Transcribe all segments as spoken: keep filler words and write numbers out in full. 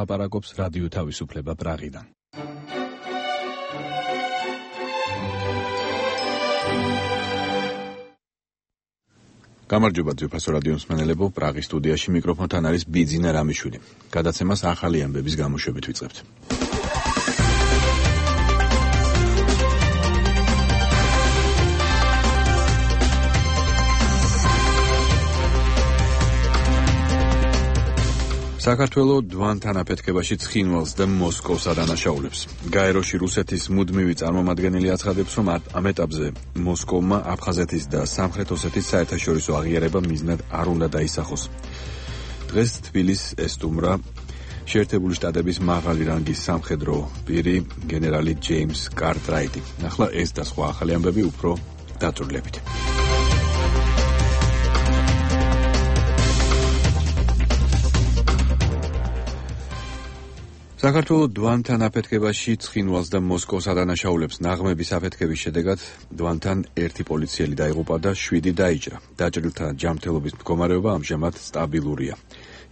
ლაპარაკობს რადიო თავისუფლება პრაღიდან. გამარჯობა ძვირფასო რადიო მსმენელებო, პრაღის სტუდიაში მიკროფონთან არის ბიძინა რამიშვილი. გადაცემას ახალი ამბების გამოშვებით ვიწყებთ. საქართველო დვანთან აფეთქებაში ცხინვალს და მოსკოვს ადანაშაულებს. გაეროში რუსეთის მუდმივი წარმომადგენელი აცხადებს, რომ ამ ეტაპზე მოსკოვმა აფხაზეთის და სამხრეთ ოსეთის საერთაშორისო აღიარება მიზნად არ უნდა დაისახოს. დღეს თბილისს ესტუმრა შეერთებული შტატების მაღალი რანგის სამხედრო პირი გენერალი ჯეიმს კარტრაიტი. ახლა ეს და სხვა ახალი ამბები უფრო დაწვრილებით. საქართველო დვანთან აფეთქებაში ცხინვალს და მოსკოვს ადანაშაულებს. ნაღმების აფეთქების შედეგად დვანთან ერთი პოლიციელი დაიღუპა და შვიდი დაიჭრა. დაჭრილთა ჯანმრთელობის მდგომარეობა ამჟამად სტაბილურია.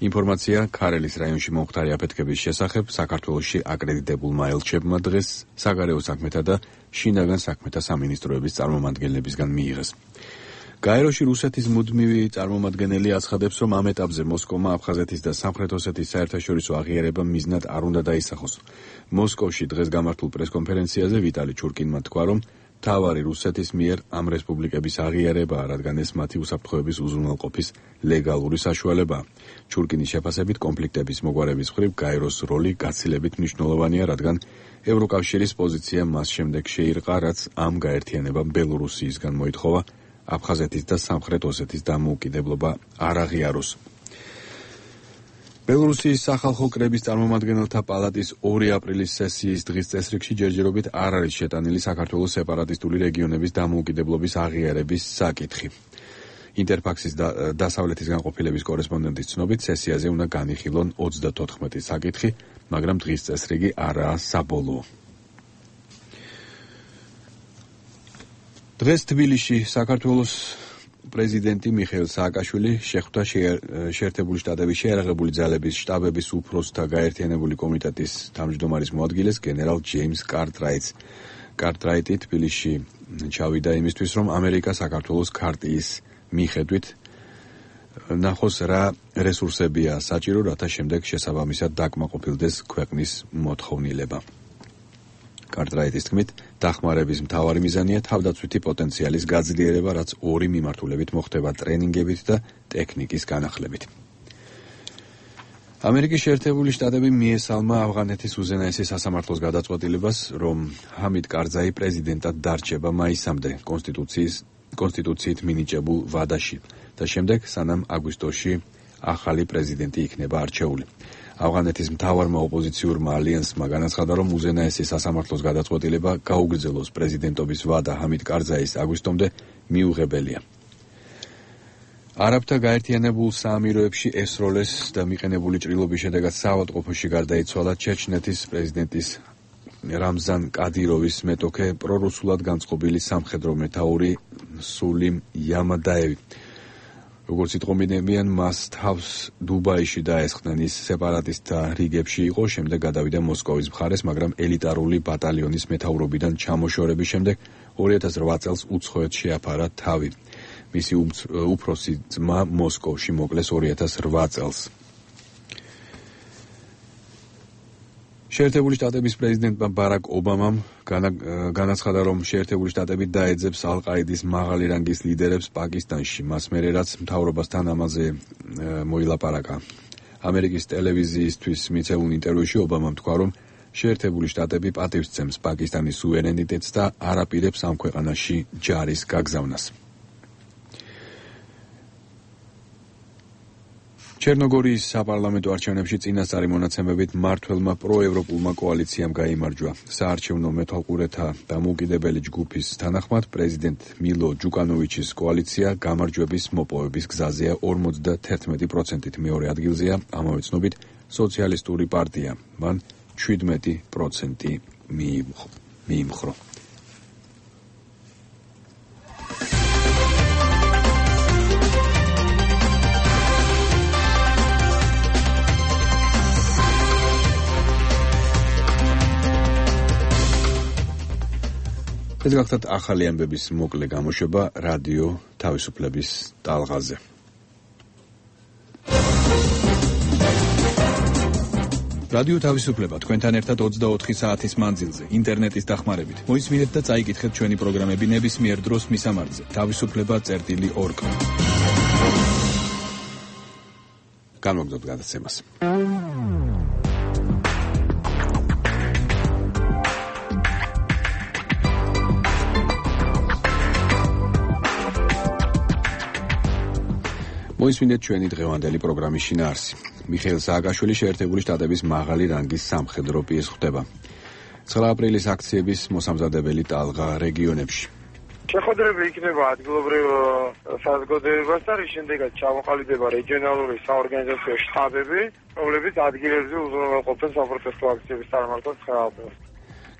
ინფორმაცია ქარელის რაიონში მომხდარი აფეთქების შესახებ საქართველოში აკრედიტებულმა ელჩებმა დღეს საგარეო საქმეთა და შინაგან საქმეთა სამინისტროების წარმომადგენლებისგან მიიღეს. გაეროში რუსეთის მუდმივი წარმომადგენელი აცხადებს, რომ ამ ეტაპზე მოსკოვმა აფხაზეთის და სამხრეთ ოსეთის საერთაშორისო აღიარება მიზნად არ უნდა დაისახოს. მოსკოვში დღეს გამართულ პრესკონფერენციაზე ვიტალი ჩურკინმა თქვა, რომ მთავარი რუსეთის მიერ ამ რესპუბლიკების აღიარებაა, რადგან ეს მათი უსაფრთხოების უზრუნველყოფის ლეგალური საშუალებაა. ჩურკინის შეფასებით კონფლიქტების მოგვარების მხრივ გაეროს როლი გაცილებით მნიშვნელოვანია, რადგან ევროკავშირის პოზიცია მას შემდეგ შეირყა, რაც ამ გაერთიანებამ ბელორუსიისგან მოითხოვა აფხაზეთის და სამხრეთ ოსეთის დამოუკიდებლობა არ აღიაროს. ბელორუსიის სახალხო კრების წარმომადგენელთა პალატის ორი აპრილის სესიის დღის წესრიგში ჯერჯერობით არ არის შეტანილი საქართველოს სეპარატისტული რეგიონების დამოუკიდებლობის აღიარების საკითხი. ინტერფაქსის და დასავლეთის განყოფილების კორესპონდენტის ცნობით, სესიაზე უნდა განიხილონ ოცდათოთხმეტი საკითხი, მაგრამ დღის წესრიგი არაა საბოლოო. დღეს თბილისში საქართველოს პრეზიდენტი მიხეილ სააკაშვილი შეხვდა შეერთებული შტატების შეიარაღებული ძალების შტაბების უფროსთა გაერთიანებული კომიტეტის თავმჯდომარის მოადგილეს გენერალ ჯეიმს კარტრაიტს. კარტრაიტი თბილისში ჩავიდა იმისთვის, რომ ამერიკა საქართველოს ქარტიის მიხედვით ნახოს რა რესურსებია საჭირო, რათა შემდეგ შესაბამისად დაკმაყოფილდეს ქვეყნის მოთხოვნილება. კარტრაიტის თქმით, დახმარების მთავარი მიზანია თავდაცვითი პოტენციალის გაძლიერება, რაც ორი მიმართულებით მოხდება ტრენინგებით და ტექნიკის განახლებით. ამერიკის შეერთებული შტატები მიესალმა ავღანეთის უზენაესი სასამართლოს გადაწყვეტილებას, რომ ჰამიდ კარზაი პრეზიდენტად დარჩება მაისამდე კონსტიტუციის კონსტიტუციით მინიჭებულ ვადაში და შემდეგ სანამ აგვისტოში ახალი პრეზიდენტი იქნება არჩეული. ავღანეთის მთავარმა ოპოზიციურმა ალიანსმა განაცხადა, რომ უზენაესი სასამართლოს გადაწყვეტილება გაუგრძელოს პრეზიდენტობის ვადა ჰამიდ კარზაის აგვისტომდე მიუღებელია. არაბთა გაერთიანებულ საამიროებში ესროლეს და მიყენებული ჭრილობის შედეგად საავადმყოფოში გარდაიცვალა ჩეჩნეთის პრეზიდენტის რამზან კადიროვის მეტოქე პრორუსულად განწყობილი სამხედრო მეთაური სულიმ იამადაევი. როგორც იტყობინებიან, მას თავს დუბაიში დაესხნენ. ის სეპარატისტთა რიგებში იყო, შემდეგ გადავიდა მოსკოვის მხარეს, მაგრამ ელიტარული ბატალიონის მეთაურობიდან ჩამოშორების შემდეგ ორი ათას რვა წელს უცხოეთ შეაფარა თავი. მისი უფროსი ძმა მოსკოვში მოკლეს ორი ათას რვა წელს. შეერთებული შტატების პრეზიდენტმა ბარაკ ობამამ განაცხადა, რომ შეერთებული შტატები დაეძებს ალ-ყაიდის მაღალი რანგის ლიდერებს პაკისტანში, მას მერე რაც მთავრობასთან ამაზე მოილაპარაკა. ამერიკის ტელევიზიისთვის მიცემულ ინტერვიუში ობამამ თქვა, რომ შეერთებული შტატები პატივსცემს პაკისტანის სუვერენიტეტს და არ აპირებს ამ ქვეყანაში ჯარის გაგზავნას. ჩერნოგორიის საპარლამენტო არჩევნებში წინასწარი მონაცემებით მმართველმა პროევროპულმა კოალიციამ გაიმარჯვა. საარჩევნო მეთვალყურეთა დამოუკიდებელი ჯგუფის თანახმად პრეზიდენტ მილო ჯუკანოვიჩის კოალიცია გამარჯვების მოპოვების გზაზეა ორმოცდათერთმეტი პროცენტით, მეორე ადგილზეა ამავე ცნობით სოციალისტური პარტია. მან შვიდმეტი პროცენტი მიიმხრო. ეს გახლავთ ახალი ამბების მოკლე გამოშვება რადიო თავისუფლების ტალღაზე. რადიო თავისუფლება თქვენთან ერთად ოცდაოთხი საათის მანძილზე ინტერნეტის დახმარებით. მოისმინეთ და წაიკითხეთ ჩვენი პროგრამები ნებისმიერ დროს მისამართზე თავისუფლება წერტილი ორ. განვაგრძობთ გადაცემას. მოისმინეთ ჩვენი დღევანდელი პროგრამის შინაარსი. მიხეილ სააკაშვილი შეერთებული შტატების მაღალი რანგის სამხედრო პირს ხვდება. ცხრა აპრილის აქციების მოსამზადებელი ტალღა რეგიონებში. შეხვედრები იქნება ადგილობრივ საზოგადოებასთან, რის შემდეგაც ჩამოყალიბდება რეგიონალური საორგანიზაციო შტაბები, რომლებიც ადგილებზე უზრუნველყოფენ საპროტესტო აქციების წარმართებას ცხრა აპრილს.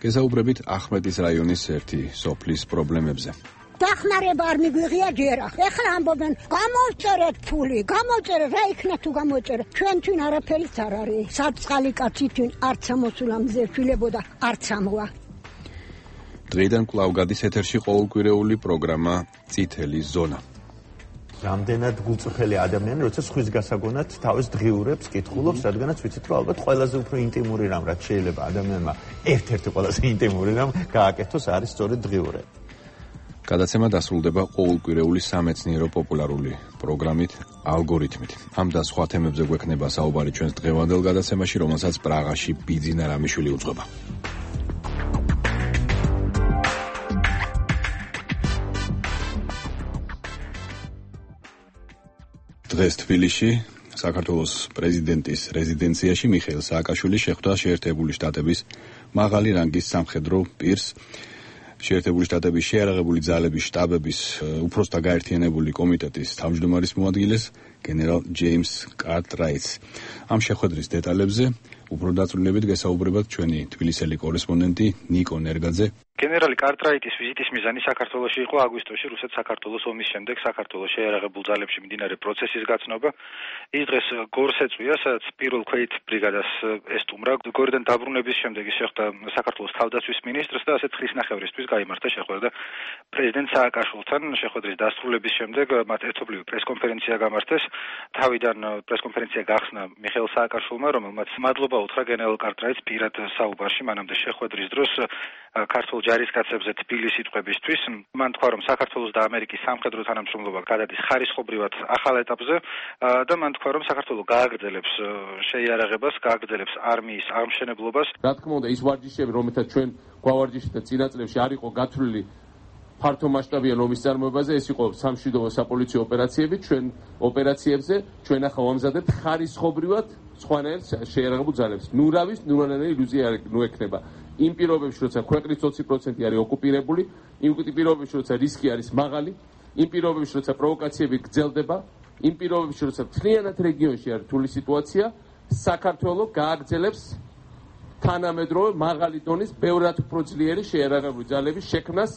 გესაუბრებით ახმეტის რაიონის ერთი სოფლის პრობლემებზე. დახმარება არ მიგვიღია ჯერახ. ეხლა ამბობენ, გამოვწერეთ ფული, გამოვწერეთ, რა იქნა თუ გამოვწერეთ. ჩვენთვის არაფერიც არ არის. საწყალი კაცი თვინ არც ამოსულა მზე შვილებოდა, არც ამოვა. დღეიდან კვლავ გადის ეთერში ყოველკვირეული პროგრამა წითელი ზონა. რამდენად გულწრფელი ადამიანი, როცა სხვის გასაგონად თავის დღიურებს კითხულობს, რადგანაც ვიცით, რომ ალბათ ყველაზე უფრო ინტიმური რამ, რაც შეიძლება ადამიანმა ერთ-ერთი ყველაზე ინტიმური რამ გააკეთოს, არის სწორედ დღიურები. გადაცემა დასრულდება ყოველკვირეული სამეცნიერო პოპულარული პროგრამით ალგორითმით. ამ და სხვა თემებზე გვექნება საუბარი ჩვენს დღევანდელ გადაცემაში, რომელსაც პრაღაში ბიძინა რამიშვილი უძღვება. დღეს თბილისში საქართველოს პრეზიდენტის რეზიდენციაში მიხეილ სააკაშვილი შეხვდა შეერთებული შტატების მაღალი რანგის სამხედრო პირს. შეერთებული შტატების შეიარაღებული ძალების შტაბების უფროსთა გაერთიანებული კომიტეტის თავმჯდომარის მოადგილეს გენერალ ჯეიმს კარტრაიტს. ამ შეხვედრის დეტალებზე უფრო დაწვრილებით გესაუბრებათ ჩვენი თბილისელი კორესპონდენტი ნიკო ნერგაძე. გენერალი კარტრაიტის ვიზიტის მიზანი საქართველოში იყო აგვისტოში რუსეთ-საქართველოს ომის შემდეგ საქართველოს შეიარაღებულ ძალებში მიმდინარე პროცესის გაცნობა. ის დღეს გორს ეწვია, სადაც პირველ ქვეით ბრიგადას ესტუმრა. გორიდან დაბრუნების შემდეგ ის შეხვდა საქართველოს თავდაცვის მინისტრს და ასეთ ხლისნახევრისთვის გაიმართა შეხვედრა პრეზიდენტ სააკაშვილთან. შეხვედრის დასრულების შემდეგ მათ ერთობლივი პრესკონფერენცია გამართეს. თავიდან პრესკონფერენცია გახსნა მიხეილ სააკაშვილმა, რომელმაც მადლობა უთხრა გენერალ კარტრაიტს პირად საუბარში მანამდე შეხვედრის დროს ქართულ ჯარისკაცებზე თბილის სიტყვებისთვის. მან თქვა, რომ საქართველოს და ამერიკის სამხედრო თანამშრომლობა გადადის ხარისხობრივად ახალ ეტაპზე და მან თქვა, რომ საქართველო გააგრძელებს შეიარაღებას, გააგრძელებს არმიის აღმშენებლობას. რა თქმა უნდა, ის ვარჯიშები, რომელთაც ჩვენ გვავარჯიშეთ და წინა წლებში არ იყო გათვლილი ფართო მასშტაბიან ომის წარმოებაზე, ეს იყო სამშვიდობო საპოლიციო ოპერაციები. ჩვენ ოპერაციებზე ჩვენ ახლა ვამზადებთ ხარისხობრივად სხვანაირ შეიარაღებულ ძალებს. ნურავის ნურანაირი ილუზია არ ნუექნება. იმ პირობებში, როცა ქვეყნის ოცი პროცენტი არის ოკუპირებული, იმ პირობებში, როცა რისკი არის მაღალი, იმ პირობებში, როცა პროვოკაციები გრძელდება, იმ პირობებში, როცა მთლიანად რეგიონში არის რთული სიტუაცია, საქართველო გააგრძელებს თანამედროვე მაღალი დონის ბევრად უფრო ძლიერი შეიარაღებული ძალების შექმნას,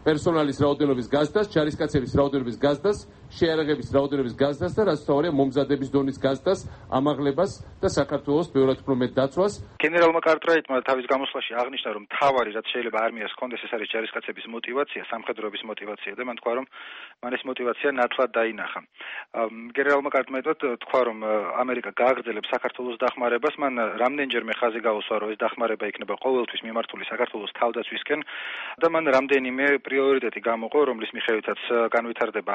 პერსონალის რაოდენობის გაზრდას, ჯარისკაცების რაოდენობის გაზრდას, შეიარაღების რაოდენობის გაზრდას და რაც თავარია მომზადების დონის გაზრდას, ამაღლებას და საქართველოს ბევრად უფრო მეტ დაცვას. გენერალმა კარტრაიტმა თავის გამოსვლაში აღნიშნა, რომ თავარი რაც შეიძლება არმიას ჰქონდეს, ეს არის ჯარისკაცების мотиваცია, სამხედროების мотиваცია და მან თქვა, რომ მან ეს мотиваცია ნათლად დაინახა. გენერალმა კარტრაიტმა თქვა, რომ ამერიკა გააგრძელებს საქართველოს დახმარებას, მან რამდენჯერმე ხაზი გაუსვა, რომ ეს დახმარება იქნება ყოველთვის მიმართული საქართველოს თავდაცვისკენ და მან რამდენიმე პრიორიტეტი გამოყო, რომლის მიხედვითაც განვითარდება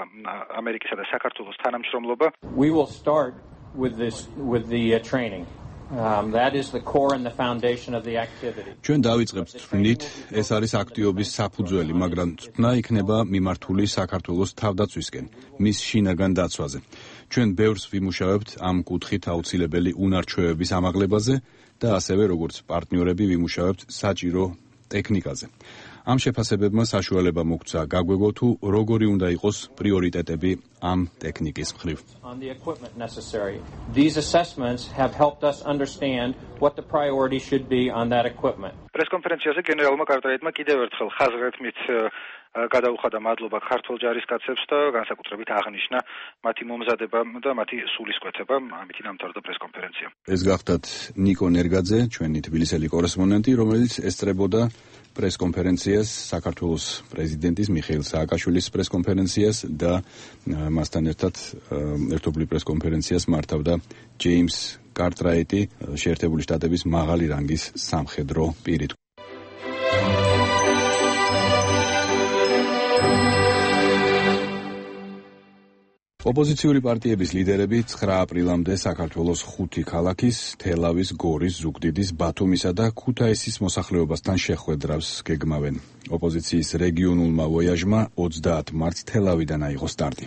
ამერიკისა და საქართველოს თანამშრომლობა. We will start with this with the uh, training. Um, that is the core and the foundation of the activity. ჩვენ დავიწყებთ თქმით, ეს არის აქტივობის საფუძველი, მაგრამ თქმა იქნება მიმართული საქართველოს თავდაცვისკენ, მის შინაგან დაცვაზე. ჩვენ ბევრს ვიმუშავებთ ამ კუთხით აუცილებელი უნარჩვევების ამაღლებაზე და ასევე როგორც პარტნიორები ვიმუშავებთ საჭირო ტექნიკაზე. ამ შეფასებებმა საშუალება მოგცა გაგვეგო თუ როგორი უნდა იყოს პრიორიტეტები ამ ტექნიკის მხრივ. On the equipment necessary. These assessments have helped us understand what the priority should be on that equipment. პრესკონფერენციაზე გენერალმა კარტრაიტმა კიდევ ერთხელ ხაზგრეთმით გადაუხადა მადლობა ქართულ ჯარისკაცებს და განსაკუთრებით აღნიშნა მათი მომზადება და მათი სულისკვეთება. ამით დამთავრდა პრესკონფერენცია. ეს გახდათ ნიკო ნერგაძე, ჩვენი თბილისელი კორესპონდენტი, რომელიც ესწრებოდა პრესკონფერენციას, საქართველოს პრეზიდენტის მიხეილ სააკაშვილის პრესკონფერენციას და მასთან ერთად ერთობლივ პრესკონფერენციას მართავდა ჯეიმს კარტრაიტი, შეერთებული შტატების მაღალი რანგის სამხედრო პირი. ოპოზიციური პარტიების ლიდერები ცხრა აპრილამდე საქართველოს ხუთი ქალაქის, თელავის, გორის, ზუგდიდის, ბათუმისა და ქუთაისის მოსახლეობასთან შეხვედრას გეგმავენ. ოპოზიციის რეგიონულმა ვოიაჟმა ოცდაათ მარტს თელავიდან აიღო სტარტი.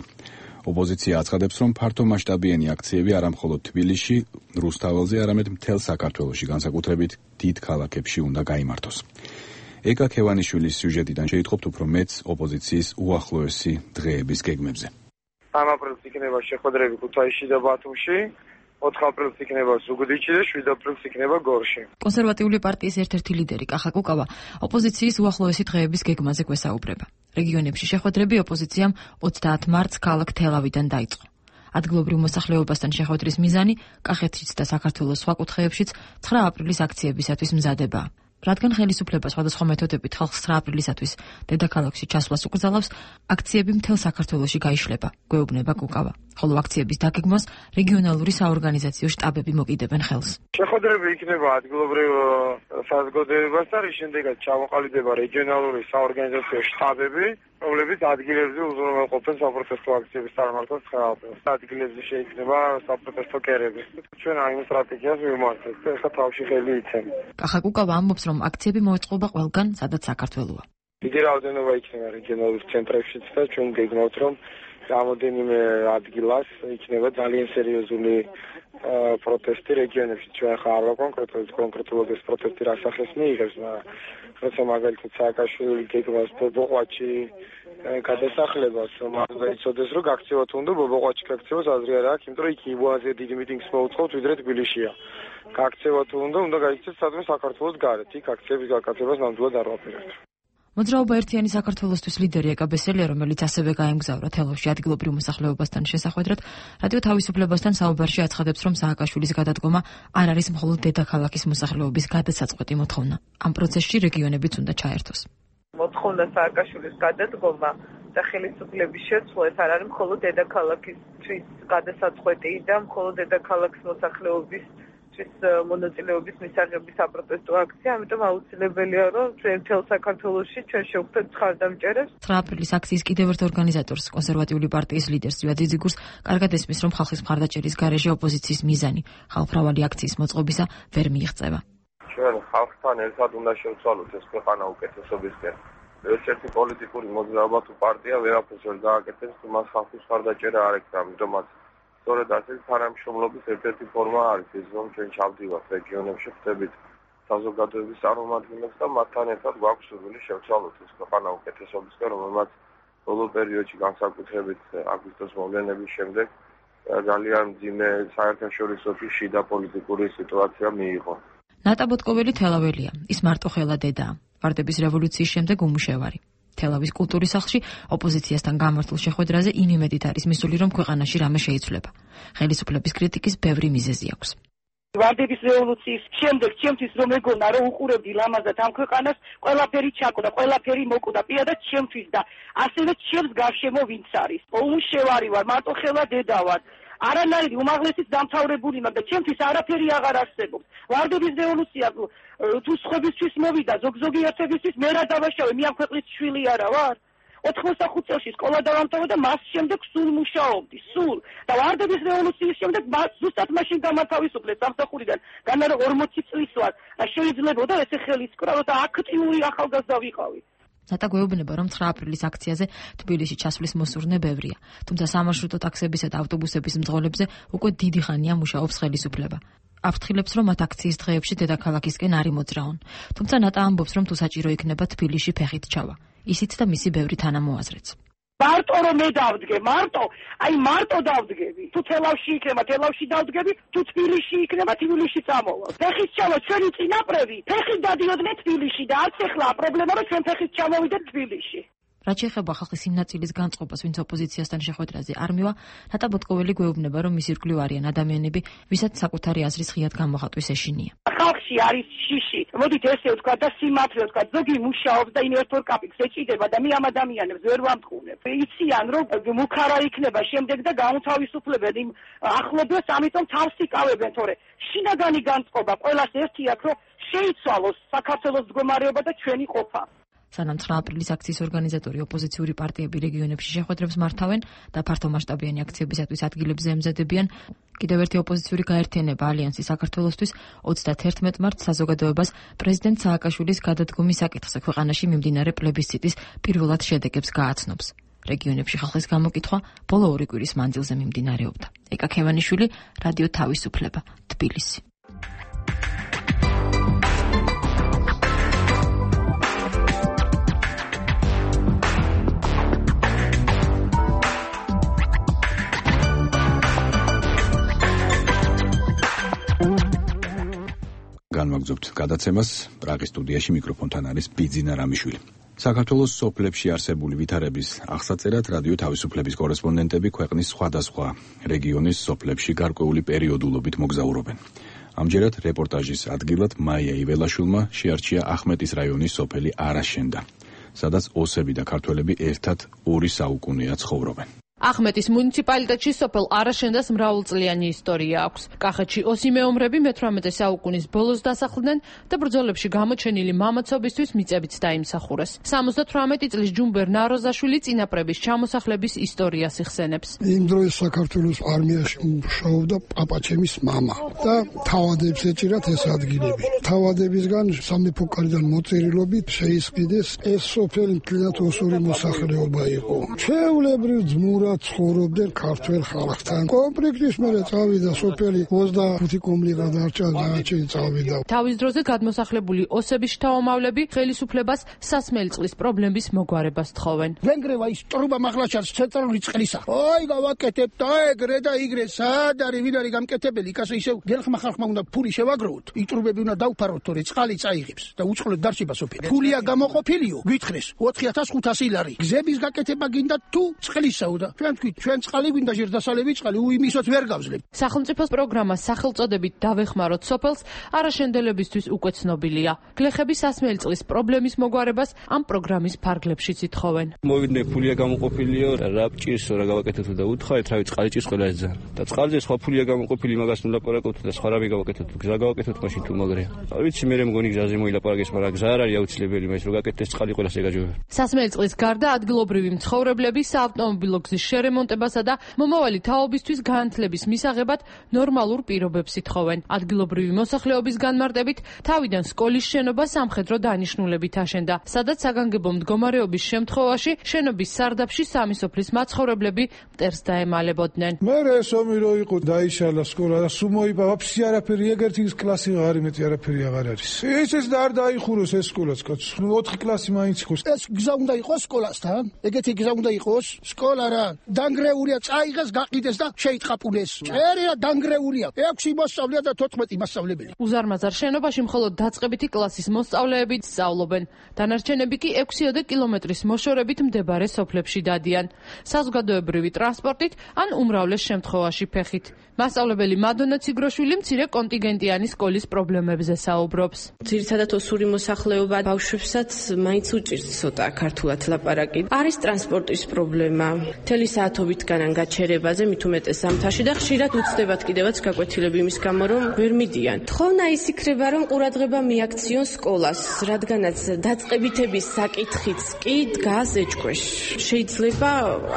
ოპოზიცია აცხადებს, რომ ფართომასშტაბიანი აქციები არა მხოლოდ თბილისში, რუსთაველზე, არამედ მთელ საქართველოში, განსაკუთრებით დიდ ქალაქებში უნდა გაიმართოს. ეკა ქევანიშვილის სიუჟეტიდან შეითხოვთ უფრო მეტს ოპოზიციის უახლოესი დღეების გეგმებზე. სამ აპრილს იქნება შეხვედრები ქუთაისში და ბათუმში, ოთხ აპრილს იქნება ზუგდიდში და შვიდ აპრილს იქნება გორში. კონსერვატიული პარტიის ერთ-ერთი ლიდერი კახა კუკავა ოპოზიციის უახლოესი დღეების გეგმაზე გვესაუბრება. რეგიონებში შეხვედრები ოპოზიციამ ოცდაათ მარტს ქალაქ თელავიდან დაიწყო. ადგილობრივ მოსახლეობასთან შეხვედრის მიზანი კახეთშიც და საქართველოს სხვა კუთხეებშიც ცხრა აპრილის აქციებისათვის მზადებაა. რადგან ხელისუფლება სხვადასხვა მეთოდებით ხალხს ცხრა აპრილისათვის დედაქალაქში ჩასვლას უკრძალავს, აქციები მთელ საქართველოში გაიშლება, გვეუბნება კუკავა. ხოლო აქციების დაგეგმვას რეგიონალური საორგანიზაციო შტაბები მოკიდებენ ხელს. შეხვედრები იქნება ადგილობრივ საზოგადოებასთან, რის შემდეგაც ჩამოყალიბდება რეგიონალური საორგანიზაციო შტაბები, რომლებიც ადგილებზე უზრუნველყოფენ საპროტესტო აქციების წარმართვას ცხრა აპრილს. ადგილებზე შეიქმნება საპროტესტო კერები. ჩვენ ამ სტრატეგიას ვიმართებთ და ახლა თავში ხელი იცემ. კახა კუკავა ამბობს, რომ აქციები მოეწყობა ყველგან, სადაც საქართველოა. დიდი რაოდენობა იქნება რეგიონალურ ცენტრებშიც და ჩვენ გეგმავთ, რომ რამოდენიმე ადგილას იქნება ძალიან სერიოზული პროტესტი რეგიონებში. ჩვენ ახლა არ ვარ კონკრეტულად კონკრეტულად ეს პროტესტი რა სახეს მიიღებს, მაგრამ როცა მაგალითად სააკაშვილი გეგმავს ბობოყვაჩი გადასახლებას, მაგრამ იცოდეს რომ გაქცევათ უნდა ბობოყვაჩი გაქცევას აზრი არ აქვს, იმიტომ რომ იქ იბოაზე დიდი მიტინგს მოუწყობთ, ვიდრე თბილისშია. გაქცევათ უნდა უნდა გაიქცეთ სადმე საქართველოს გარეთ, იქ აქციების გაკეთებას ნამდვილად არ ვაპირებთ. მოძრაობა ერთიანი საქართველოსთვის ლიდერი ეკა ბესელია, რომელიც ასევე გაემგზავრა თელავში ადგილობრივ მოსახლეობასთან შესახვედრად, რადიო თავისუფლებასთან საუბარში აცხადებს, რომ სააკაშვილის გადადგომა არ არის მხოლოდ დედაქალაქის მოსახლეობის გადასაწყვეტი მოთხოვნა. ამ პროცესში რეგიონებიც უნდა ჩაერთოს. მოთხოვნა სააკაშვილის გადადგომა და ხელისუფლების შეცვლა ეს არ არის მხოლოდ დედაქალაქისთვის გადასაწყვეტი და მხოლოდ დედაქალაქის მოსახლეობის მონაწილეობის მისაღების საპროტესტო აქცია, ამიტომ აუცილებელია, რომ ჩვენ მთელ საქართველოში ჩვენ შევხვდეთ მხარდამჭერებს. ცხრა აპრილის აქციის კიდევ ერთ ორგანიზატორს, კონსერვატიული პარტიის ლიდერს ზვია ძიძიგურს, კარგად ესმის, რომ ხალხის მხარდაჭერის გარეშე ოპოზიციის მიზანი ხალხმრავალი აქციის მოწყობისა ვერ მიიღწევა. ჩვენ ხალხთან ერთად უნდა შევცვალოთ ეს ქვეყანა უკეთესობისკენ. ერთ-ერთი პოლიტიკური მოძრაობა თუ პარტია ვერაფერს ვერ გააკეთებს, თუ მას ხალხის მხარდაჭერა არ ექნება, ამიტომაც სწორედ ასე თანამშრომლობის ერთ-ერთი ფორმა არის ის, რომ ჩვენ ჩავდივართ რეგიონებში, ხვდებით საზოგადოების წარმომადგენლებს და მათთან ერთად გვაქვს სურვილი შევცვალოთ ეს ქვეყანა უკეთესობისკენ, რომელმაც ბოლო პერიოდში განსაკუთრებით აგვისტოს მოვლენების შემდეგ ძალიან მძიმე საერთაშორისო შიდა პოლიტიკური სიტუაცია მიიღო. ნატა ბოტკოველი თელაველია, ის მარტო ხელა დედაა. ვარდების რევოლუციის შემდეგ უმუშევარი. თელავის კულტურის სახლში ოპოზიციასთან გამართულ შეხვედრაზე იმ იმედით არის მისული, რომ ქვეყანაში რამე შეიცვლება. ხელისუფლების კრიტიკის ბევრი მიზეზი აქვს. ვარდების რევოლუციის შემდეგ ჩემთვის რომ ეგონა რომ უყურებდი ლამაზად ამ ქვეყანას, ყველაფერი ჩაკდა, ყველაფერი მოკდა, პირადად ჩემთვის და ასევე ჩემს გარშემო ვინც არის. უმუშევარი ვარ, მარტო ხელა დედა ვარ. არანაირი უმაღლესიც დამთავრებული მაქვს და ჩემთვის არაფერი აღარ არსებობს. ვარდების რევოლუცია თუ სხვებისთვის მოვიდა, ზოგ-ზოგი ერთებისთვის მე რა დავაშავე, მე ამ ქვეყნის შვილი არა ვარ. ოთხმოცდახუთ წელში სკოლა დავამთავრე და მას შემდეგ სულ მუშაობდი, სულ. და ვარდების რევოლუციის შემდეგ ზუსტად მაშინ გამათავისუფლეთ სამსახურიდან. განა რომ ორმოცი წლის ვარ, შეიძლებოდა ესე ხელის კრავ და აქტიური ახალგაზრდა ვიყავი. ნატა გვეუბნება, რომ ცხრა აპრილის აქციაზე თბილისში ჩასვლის მოსურნე ბევრია, თუმცა სამარშრუტო ტაქსებისა და ავტობუსების მძღოლებზე უკვე დიდი ხანია მუშაობს ხელისუფლება. აფრთხილებს, რომ მათ აქციის დღეებში დედაქალაქისკენ არ იმოძრაონ. თუმცა ნატა ამბობს, რომ თუ საჭირო იქნება თბილისში ფეხით ჩავა. ისიც და მისი ბევრი თანამოაზრეც. მარტო რომ მე დავდგე, მარტო, აი მარტო დავდგები. თუ თელავში იქნება, თელავში დავდგები, თუ თბილისში იქნება, თბილისში წამოვალ. ფეხით ჩავა ჩვენი წინაპრები, ფეხით დადიოდნენ თბილისში და არც ეხლა პრობლემა რომ ჩვენ ფეხით ჩამოვიდეთ თბილისში. რაც შეეხება ხალხის იმ ნაწილის განწყობას, ვინც ოპოზიციასთან შეხვედრაზე არ მივა, ნატა ბოტკოველი გვეუბნება, რომ მის ირგვლივ არიან ადამიანები, ვისაც საკუთარი აზრის ღიად გამოხატვის ეშინია. ხალხში არის შიში. მოდით ესე ვთქვა და სიმართლე ვთქვა, ზოგი მუშაობს და ინვესტორ კაპიტალს ეჭიდება და მე ამ ადამიანებს ვერ ვამტყუნებ. იციან, რომ მუქარა იქნება შემდეგ და გაუთავისუფლებენ იმ ახლობლებს, ამიტომ თავს იკავებენ, თორე შინაგანი განწყობა ყველას ერთი აქვს, რომ შეიცვალოს საქართველოს მდგომარეობა და ჩვენი ყოფა. სანამ ცხრა აპრილის აქციის ორგანიზატორი ოპოზიციური პარტიები რეგიონებში შეხვედრებს მართავენ და ფართომასშტაბიანი აქციებისათვის ადგილებზე ემზადებიან, კიდევ ერთი ოპოზიციური გაერთიანება ალიანსი საქართველოსთვის ოცდაათერთმეტ მარტს საზოგადოებას პრეზიდენტ სააკაშვილის გადადგომის საკითხზე ქვეყანაში მიმდინარე პლებისციტის პირველად შედეგებს გააცნობს. რეგიონებში ხალხის გამოკითხვა ბოლო ორი კვირის მანძილზე მიმდინარეობდა. ეკა ქევანიშვილი, რადიო თავისუფლება, თბილისი. განვაგრძობთ გადაცემას. პრაღის სტუდიაში მიკროფონთან არის ბიძინა რამიშვილი. საქართველოს სოფლებში არსებული ვითარების აღსაწერად რადიო თავისუფლების კორესპონდენტები ქვეყნის სხვადასხვა რეგიონის სოფლებში გარკვეული პერიოდულობით მოგზაურობენ. ამჯერად რეპორტაჟის ადგილად მაია იველაშვილმა შეარჩია ახმეტის რაიონის სოფელი არაშენდა, სადაც ოსები და ქართველები ერთად ორი საუკუნეა ცხოვრობენ. ახმეტის მუნიციპალიტეტში სოფელ არაშენდას მრავალწლიანი ისტორია აქვს. კახეთში ოსი მეომრები მეთვრამეტე საუკუნის ბოლოს დასახლდნენ და ბრძოლებში გამოჩენილი მამაცობისთვის მიწებიც დაიმსახურეს. სამოცდათვრამეტი წლის ჯუმბერ ნაროზაშვილი წინაპრების ჩამოსახლების ისტორიას იხსენებს. იმ დროის საქართველოს არმიაში მუშაობდა პაპაჩემის მამა და თავადებს ეჭირათ ეს ადგილები. თავადებისგან სამეფო კარიდან მოწერილობით შეისყიდეს ეს სოფელი მთლიანად ოსური მოსახლეობა იყო. ჩვეულებრივ ძმურად ცხოვრობდნენ ქართველ ხალხთან. კონფლიქტის მერე წავიდა სოფელი ოცდახუთი კომლიღა დარჩა და ჩი წავიდა. თავის დროზე გადმოსახლებული ოსების შთამომავლები ხელისუფლებას სასმელი წყლის პრობლემის მოგვარებას თხოვენ. ვენგრევა ის ტრუბა მაღლაჩარს ცენტრალური წყლისა. ოი გავაკეთებ და ეგრე და იგრე სად არის ვინ არის გამკეთებელი? კაცო ისევ გელხმა ხალხმა უნდა ფული შევაგროვოთ. იტრუბები უნდა დავფაროთ, თორე წყალი წაიღებს და უწყლოდ დარჩება სოფელი. ფულია გამოყოფილიო, გითხრეს ოთხი ათას ხუთასი ლარი. გზების გაკეთება გინდა თუ წყლისაო და ჩვენ თქვით, ჩვენ წყალი გვინდა ჟირდასალები წყალი, უიმისოთ ვერ გავძლებ. სახელმწიფოს პროგრამა სახელწოდებით დავეხმაროთ სოფელს არაშენდელებისთვის უკვე ცნობილია. გლეხები სასმელი წყლის პრობლემის მოგვარებას ამ პროგრამის ფარგლებშიც ითხოვენ. მოვიდნენ ფულია გამოყოფილიო, რა ჭირსო რა გავაკეთოთ და უთხარით, რავი წყალი ჭირს ყველა ეს ძალიან. და წყალზე სხვა ფულია გამოყოფილი მაგას ნუ ლაპარაკობთ და სხვა რამე გავაკეთოთ, გზა გავაკეთოთ მაშინ თუ მაგრია. ვიცი მე მგონი გზაზე მოილაპარაკეს, მაგრამ გზა არ არის აუცილებელი, მას რომ გაკეთდეს წყალი ყველას ეგაჯობებ. სასმელი წყლის გარდა ადგილობრივი მცხოვრებლები საავტომობილო გზის შერემონტებასა და მომავალი თაობისთვის განათლების მისაღებად ნორმალურ პირობებს ითხოვენ. ადგილობრივი მოსახლეობის განმარტებით თავიდან სკოლის შენობა სამხედრო დანიშნულებით აშენდა, სადაც საგანგებო მდგომარეობის შემთხვევაში შენობის სარდაფში სამი სოფლის მაცხოვრებლები მტერს დაემალებოდნენ. მე ეს ომი რო იყო დაიშალა სკოლა და სულ მოიპავა ფსი არაფერი, ეგერთი კლასი აღარ იმეთი არაფერი აღარ არის. ეს ეს და არ დაიხუროს ეს სკოლაც კაც. ოთხი კლასი მაინც იყოს. ეს გზა უნდა იყოს სკოლასთან. ეგეთი გზა უნდა იყოს სკოლა რა. დანგრეულია, წაიღეს, გაყიდეს და შეიტყაპულეს. წერია დანგრეულია. ექვსი მოსწავლეა და თოთხმეტი მასწავლებელი. უზარმაზარ შენობაში მხოლოდ დაწყებითი კლასის მოსწავლეები სწავლობენ. დანარჩენები კი ექვსი კილომეტრის მოშორებით მდებარე სოფლებში დადიან. საზოგადოებრივი ტრანსპორტით ან უმრავლეს შემთხვევაში ფეხით. მასწავლებელი მადონა ციგროშვილი მცირე კონტინგენტიანი სკოლის პრობლემებზე საუბრობს. ძირითადად ოსური მოსახლეობა ბავშვებსაც მაინც უჭირს ცოტა ქართულად ლაპარაკი. არის ტრანსპორტის პრობლემა. მთელი საათობით განან გაჩერებაზე მით უმეტეს ზამთარში და ხშირად უცდებათ კიდევაც გაკვეთილები იმის გამო რომ ვერ მიდიან. თხოვნა ის იქნება რომ ყურადღება მიაქციონ სკოლას, რადგანაც დაწყებითების საკითხიც კი დგას ეჭქვეშ. შეიძლება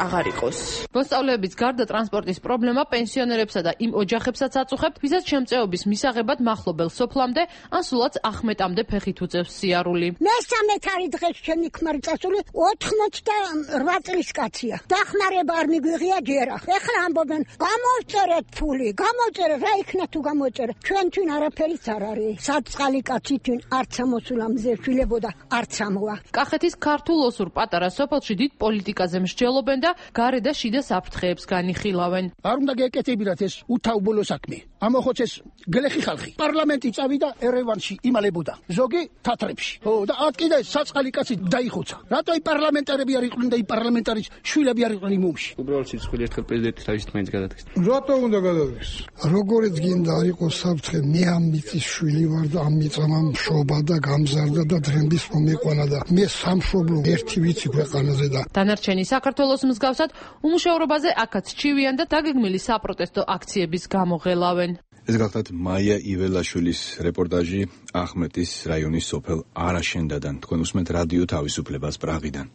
აღარ იყოს. მოსწავლეების გარდა ტრანსპორტის პრობლემა პენსიონერებსა და იმ ოჯახებსაც აწუხებთ, ვისაც შემწეობის მისაღებად მახლობელ სოფლამდე ან სულაც ახმეტამდე ფეხით უწევს სიარული. მესამე თარი დღეს ჩემი ქმარი წასული ოთხმოცდაორ წლის კაცია. დახმარება არ მიგვიღია ჯერახ. ეხლა ამბობენ, გამოვწერეთ ფული, გამოვწერეთ, რა იქნა თუ გამოვწერეთ. ჩვენ თვინ არაფერიც არ არის. საწყალი კაცი თვინ არც ამოსულა მზე შვილებოდა, არც ამოა. კახეთის ქართულ ოსურ პატარა სოფელში დიდ პოლიტიკაზე მსჯელობენ და გარე და შიდა საფრთხეებს განიხილავენ. არ უნდა გეკეთებინათ ეს უთავბოლო საქმე. ამოხოცეს გლეხი ხალხი. პარლამენტი წავიდა ერევანში იმალებოდა. ზოგი თათრებში. ხო და ათ კიდე საწყალი კაცი დაიხოცა. რატო აი პარლამენტარები არ იყვნენ და აი პარლამენტარის შვილები არ იყვნენ იმში? უბრალოდ სიცხვილე ერთხელ პრეზიდენტი თავის თქმით გადადგეს. რატო უნდა გადადგეს? როგორიც გინდა არ იყოს საფრთხე, მე ამ მიწის შვილი ვარ და ამ მიწამ მშობა და გამზარდა და დრემბის მომეყვანა და მე სამშობლო ერთი ვიცი ქვეყანაზე და დანარჩენი საქართველოს მსგავსად უმუშევრობაზე აქაც ჩივიან და დაგეგმილი საპროტესტო აქციების გამო ღელავენ. ეს გახლავთ მაია იველაშვილის რეპორტაჟი ახმეტის რაიონის სოფელ არაშენდადან. თქვენ უსმენთ რადიო თავისუფლებას პრაღიდან.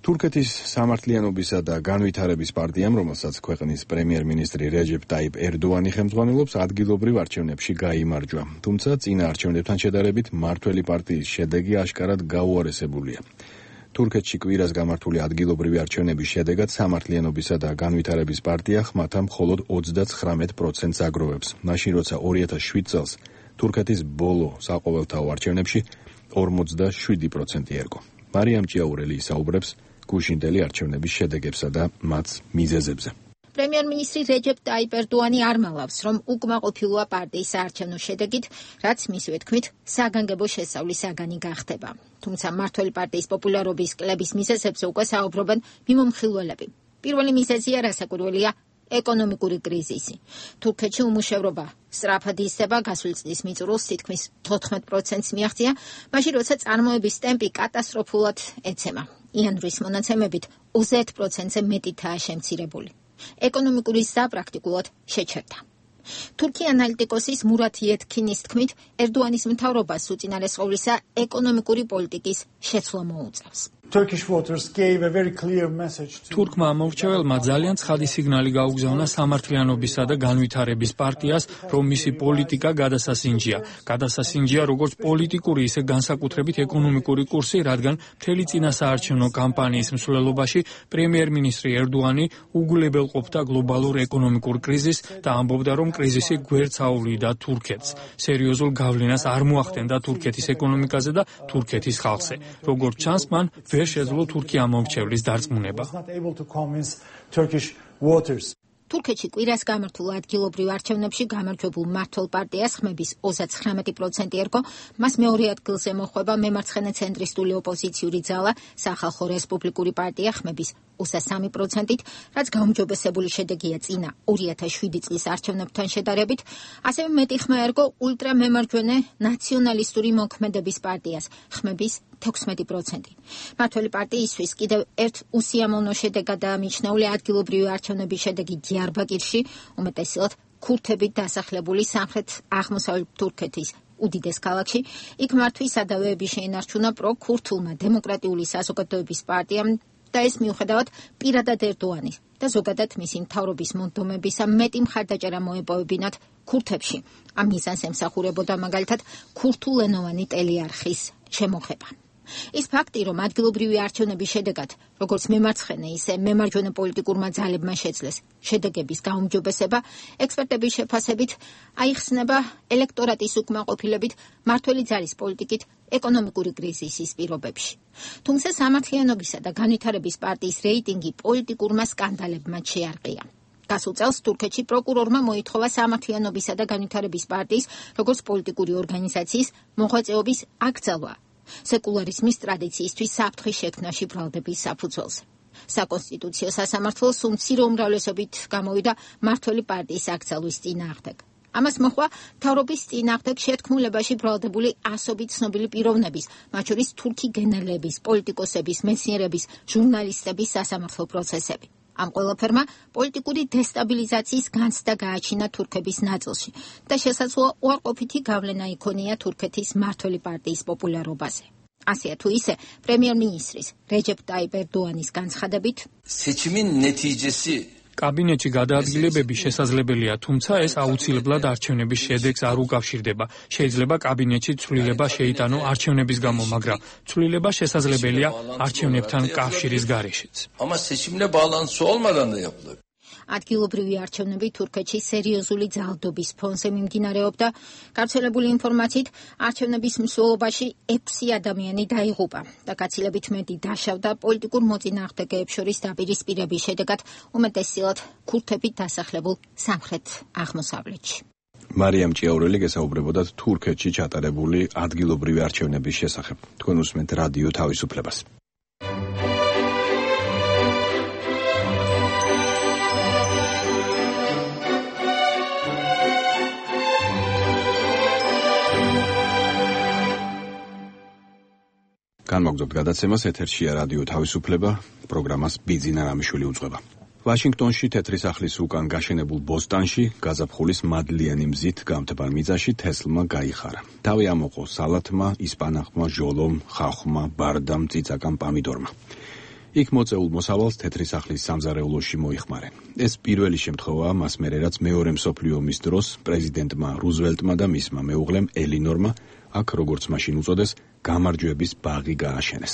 თურქეთის სამართლიანობისა და განვითარების პარტიამ, რომელსაც ქვეყნის პრემიერ-მინისტრი რეჯეპ ტაიპ ერდოანი ხელმძღვანელობს, ადგილობრივ არჩევნებში გაიმარჯვა. თუმცა წინა არჩევნებთან შედარებით მმართველი პარტიის შედეგი აშკარად გაუარესებულია. თურქეთში კვირას გამართული ადგილობრივი არჩევნების შედეგად სამართლიანობისა და განვითარების პარტია ხმათა მხოლოდ ოცდაცხრამეტ პროცენტს აგროვებს. მაშინ როცა ორი ათას შვიდ წელს თურქეთის ბოლო საყოველთაო არჩევნებში ორმოცდაშვიდი პროცენტი ერგო. მარიამ ჭიაურელი ისაუბრებს გუშინდელი არჩევნების შედეგებსა და მათ მიზეზებზე. პრემიერ-მინისტრი რეჯეპ ტაიპ ერდოანი არ მალავს, რომ უკმაყოფილოა პარტიის საარჩევნო შედეგით, რაც მისივე თქმით, საგანგებო შესავლის საგანი გახდება. თუმცა მმართველი პარტიის პოპულარობის კლების მიზეზებზე უკვე საუბრობენ მიმომხილველები. პირველი მიზეზია რასაკვირველია ეკონომიკური კრიზისი. თურქეთში უმუშევრობა სწრაფად იზრდება, გასული წლის მიწურულს თითქმის თოთხმეტ პროცენტს მიაღწია, მაშინ როცა წარმოების ტემპი კატასტროფულად ეცემა. იანვრის მონაცემებით ოცდაერთ პროცენტზე მეტითაა შემცირებული. ეკონომიკური ზრდა პრაქტიკულად შეჩერდა. თურქი ანალიტიკოსის მურათ იეთქინის თქმით, ერდოანის მთავრობას უწინარესყოვლისა ეკონომიკური პოლიტიკის შეცვლა მოუწევს. თურქმა ამორჩეველმა ძალიან ცხადი სიგნალი გაუგზავნა სამართლიანობისა და განვითარების პარტიას, რომ მისი პოლიტიკა გადასასინჯია. გადასასინჯია როგორც პოლიტიკური, ისე განსაკუთრებით ეკონომიკური კურსი, რადგან მთელი წინა საარჩევნო კამპანიის მსვლელობაში პრემიერ-მინისტრი ერდოანი უგულებელყოფდა გლობალურ ეკონომიკურ კრიზისს და ამბობდა, რომ კრიზისი გვერდს აუვლიდა თურქეთს. სერიოზულ გავლენას არ მოახდენდა თურქეთის ეკონომიკაზე და თურქეთის ხალხზე. როგორც ჩანს, მან ვერ შეძლო თურქი ამორჩევლის დარწმუნება. თურქეთში კვირას გამართულ ადგილობრივ არჩევნებში გამარჯვებულ მმართველ პარტიას ხმების ოცდაცხრამეტი პროცენტი ერგო, მას მეორე ადგილზე მოხვება მემარცხენე ცენტრისტული ოპოზიციური ძალა სახალხო რესპუბლიკური პარტია ხმების ოცდასამი პროცენტით, რაც გაუმჯობესებული შედეგია წინა ორი ათას შვიდი წლის არჩევნებთან შედარებით, ასევე მეტი ხმა ერგო ულტრამემარჯვენე ნაციონალისტური მოქმედების პარტიას ხმების თექვსმეტი პროცენტი. მმართველი პარტიისთვის კიდევ ერთ უსიამოვნო შედეგადაა მიჩნეული ადგილობრივი არჩევნების შედეგი დიარბაკირში, უმეტესად ქურთებით დასახლებული სამხრეთ აღმოსავლეთ თურქეთის უდიდეს ქალაქში. იქ მართვის სადავეები შეინარჩუნა პრო-ქურთულმა დემოკრატიული საზოგადოების პარტიამ და ეს მიუხედავად პირადად ერდოანის და ზოგადად მისი მთავრობის მონდომებისა მეტი მხარდაჭერა მოეპოვებინათ ქურთებში. ამ მიზანს ემსახურებოდა მაგალითად ქურთულენოვანი ტელეარხის შემოღება. ის ფაქტი, რომ ადგილობრივი არჩევნების შედეგად, როგორც მემარცხენე, ისე მემარჯვენე პოლიტიკურმა ძალებმა შეძლეს შედეგების გაუმჯობესება, ექსპერტების შეფასებით აიხსნება ელექტორატის უკმაყოფილებით მმართველი ძალის პოლიტიკით ეკონომიკური კრიზისის პირობებში. თუმცა სამართლიანობისა და განვითარების პარტიის რეიტინგი პოლიტიკურმა სკანდალებმა შეარყია. გასულ წელს თურქეთში პროკურორმა მოითხოვა სამართლიანობისა და განვითარების პარტიის, როგორც პოლიტიკური ორგანიზაციის მოღვაწეობის აკრძალვა სეკულარიზმის ტრადიციისთვის საფრთხის შექმნაში ბრალდების საფუძველზე. საკონსტიტუციო სასამართლოს უმცირო უმრავლესობით გამოვიდა მმართველი პარტიის აკრძალვის წინააღმდეგ. ამას მოჰყვა მთავრობის წინააღმდეგ შეთქმულებაში ბრალდებული ასობით ცნობილი პიროვნების, მათ შორის თურქი გენერლების, პოლიტიკოსების, მეცნიერების, ჟურნალისტების სასამართლო პროცესები. ამ ყველაფერმა პოლიტიკური დესტაბილიზაციის განცდა გააჩინა თურქების ნაწილში და შესაძლოა უარყოფითი გავლენა იქონია თურქეთის მმართველი პარტიის პოპულარობაზე. ასეა თუ ისე, პრემიერ-მინისტრის რეჯეპ ტაიპ ერდოანის განცხადებით, seçimin neticesi კაბინეტში გადაადგილებები შესაძლებელია, თუმცა ეს აუცილებლად არჩევნების შედეგს არ უკავშირდება. შეიძლება კაბინეტში ცვლილება შეიტანო არჩევნების გამო, მაგრამ ცვლილება შესაძლებელია არჩევნებთან კავშირის გარეშეც. Ama seçimle bağlantısı olmadan da yapılır. ადგილობრივი არჩევნები თურქეთში სერიოზული ძალადობის ფონზე მიმდინარეობდა. გავრცელებული ინფორმაციით, არჩევნების მსვლელობაში ექვსი ადამიანი დაიღუპა და გაცილებით მეტი დაშავდა პოლიტიკურ მოწინააღმდეგეებს შორის დაპირისპირების შედეგად უმეტესწილად ქურთები დასახლებულ სამხრეთ აღმოსავლეთში. მარიამ ჭიაურელი გესაუბრებოდათ თურქეთში ჩატარებული ადგილობრივი არჩევნების შესახებ. თქვენ უსმენთ რადიო თავისუფლებას. განმაგზავნებთ გადაცემას, ეთერშია რადიო თავისუფლება, პროგრამას ბიძინა რამიშვილი უძღვება. ვაშინგტონში თეთრი სახლის უკან გაშენებულ ბოსტანში გაზაფხულის მადლიანი მზით გამთბარ მიწაში თესლმა გაიხარა. თავი ამოყო სალათმა, ისპანახმა, ჟოლომ, ხახვმა, ბარდამ, წიწაკამ, პამიდორმა. იქ მოწეულ მოსავალს თეთრი სახლის სამზარეულოში მოიხმარენ. ეს პირველი შემთხვევაა მას მერე, რაც მეორე მსოფლიო ომის დროს პრეზიდენტმა რუზველტმა და მისმა მეუღლემ ელინორმა აქ როგორც მაშინ უწოდეს გამარჯვების ბაღი გააშენეს.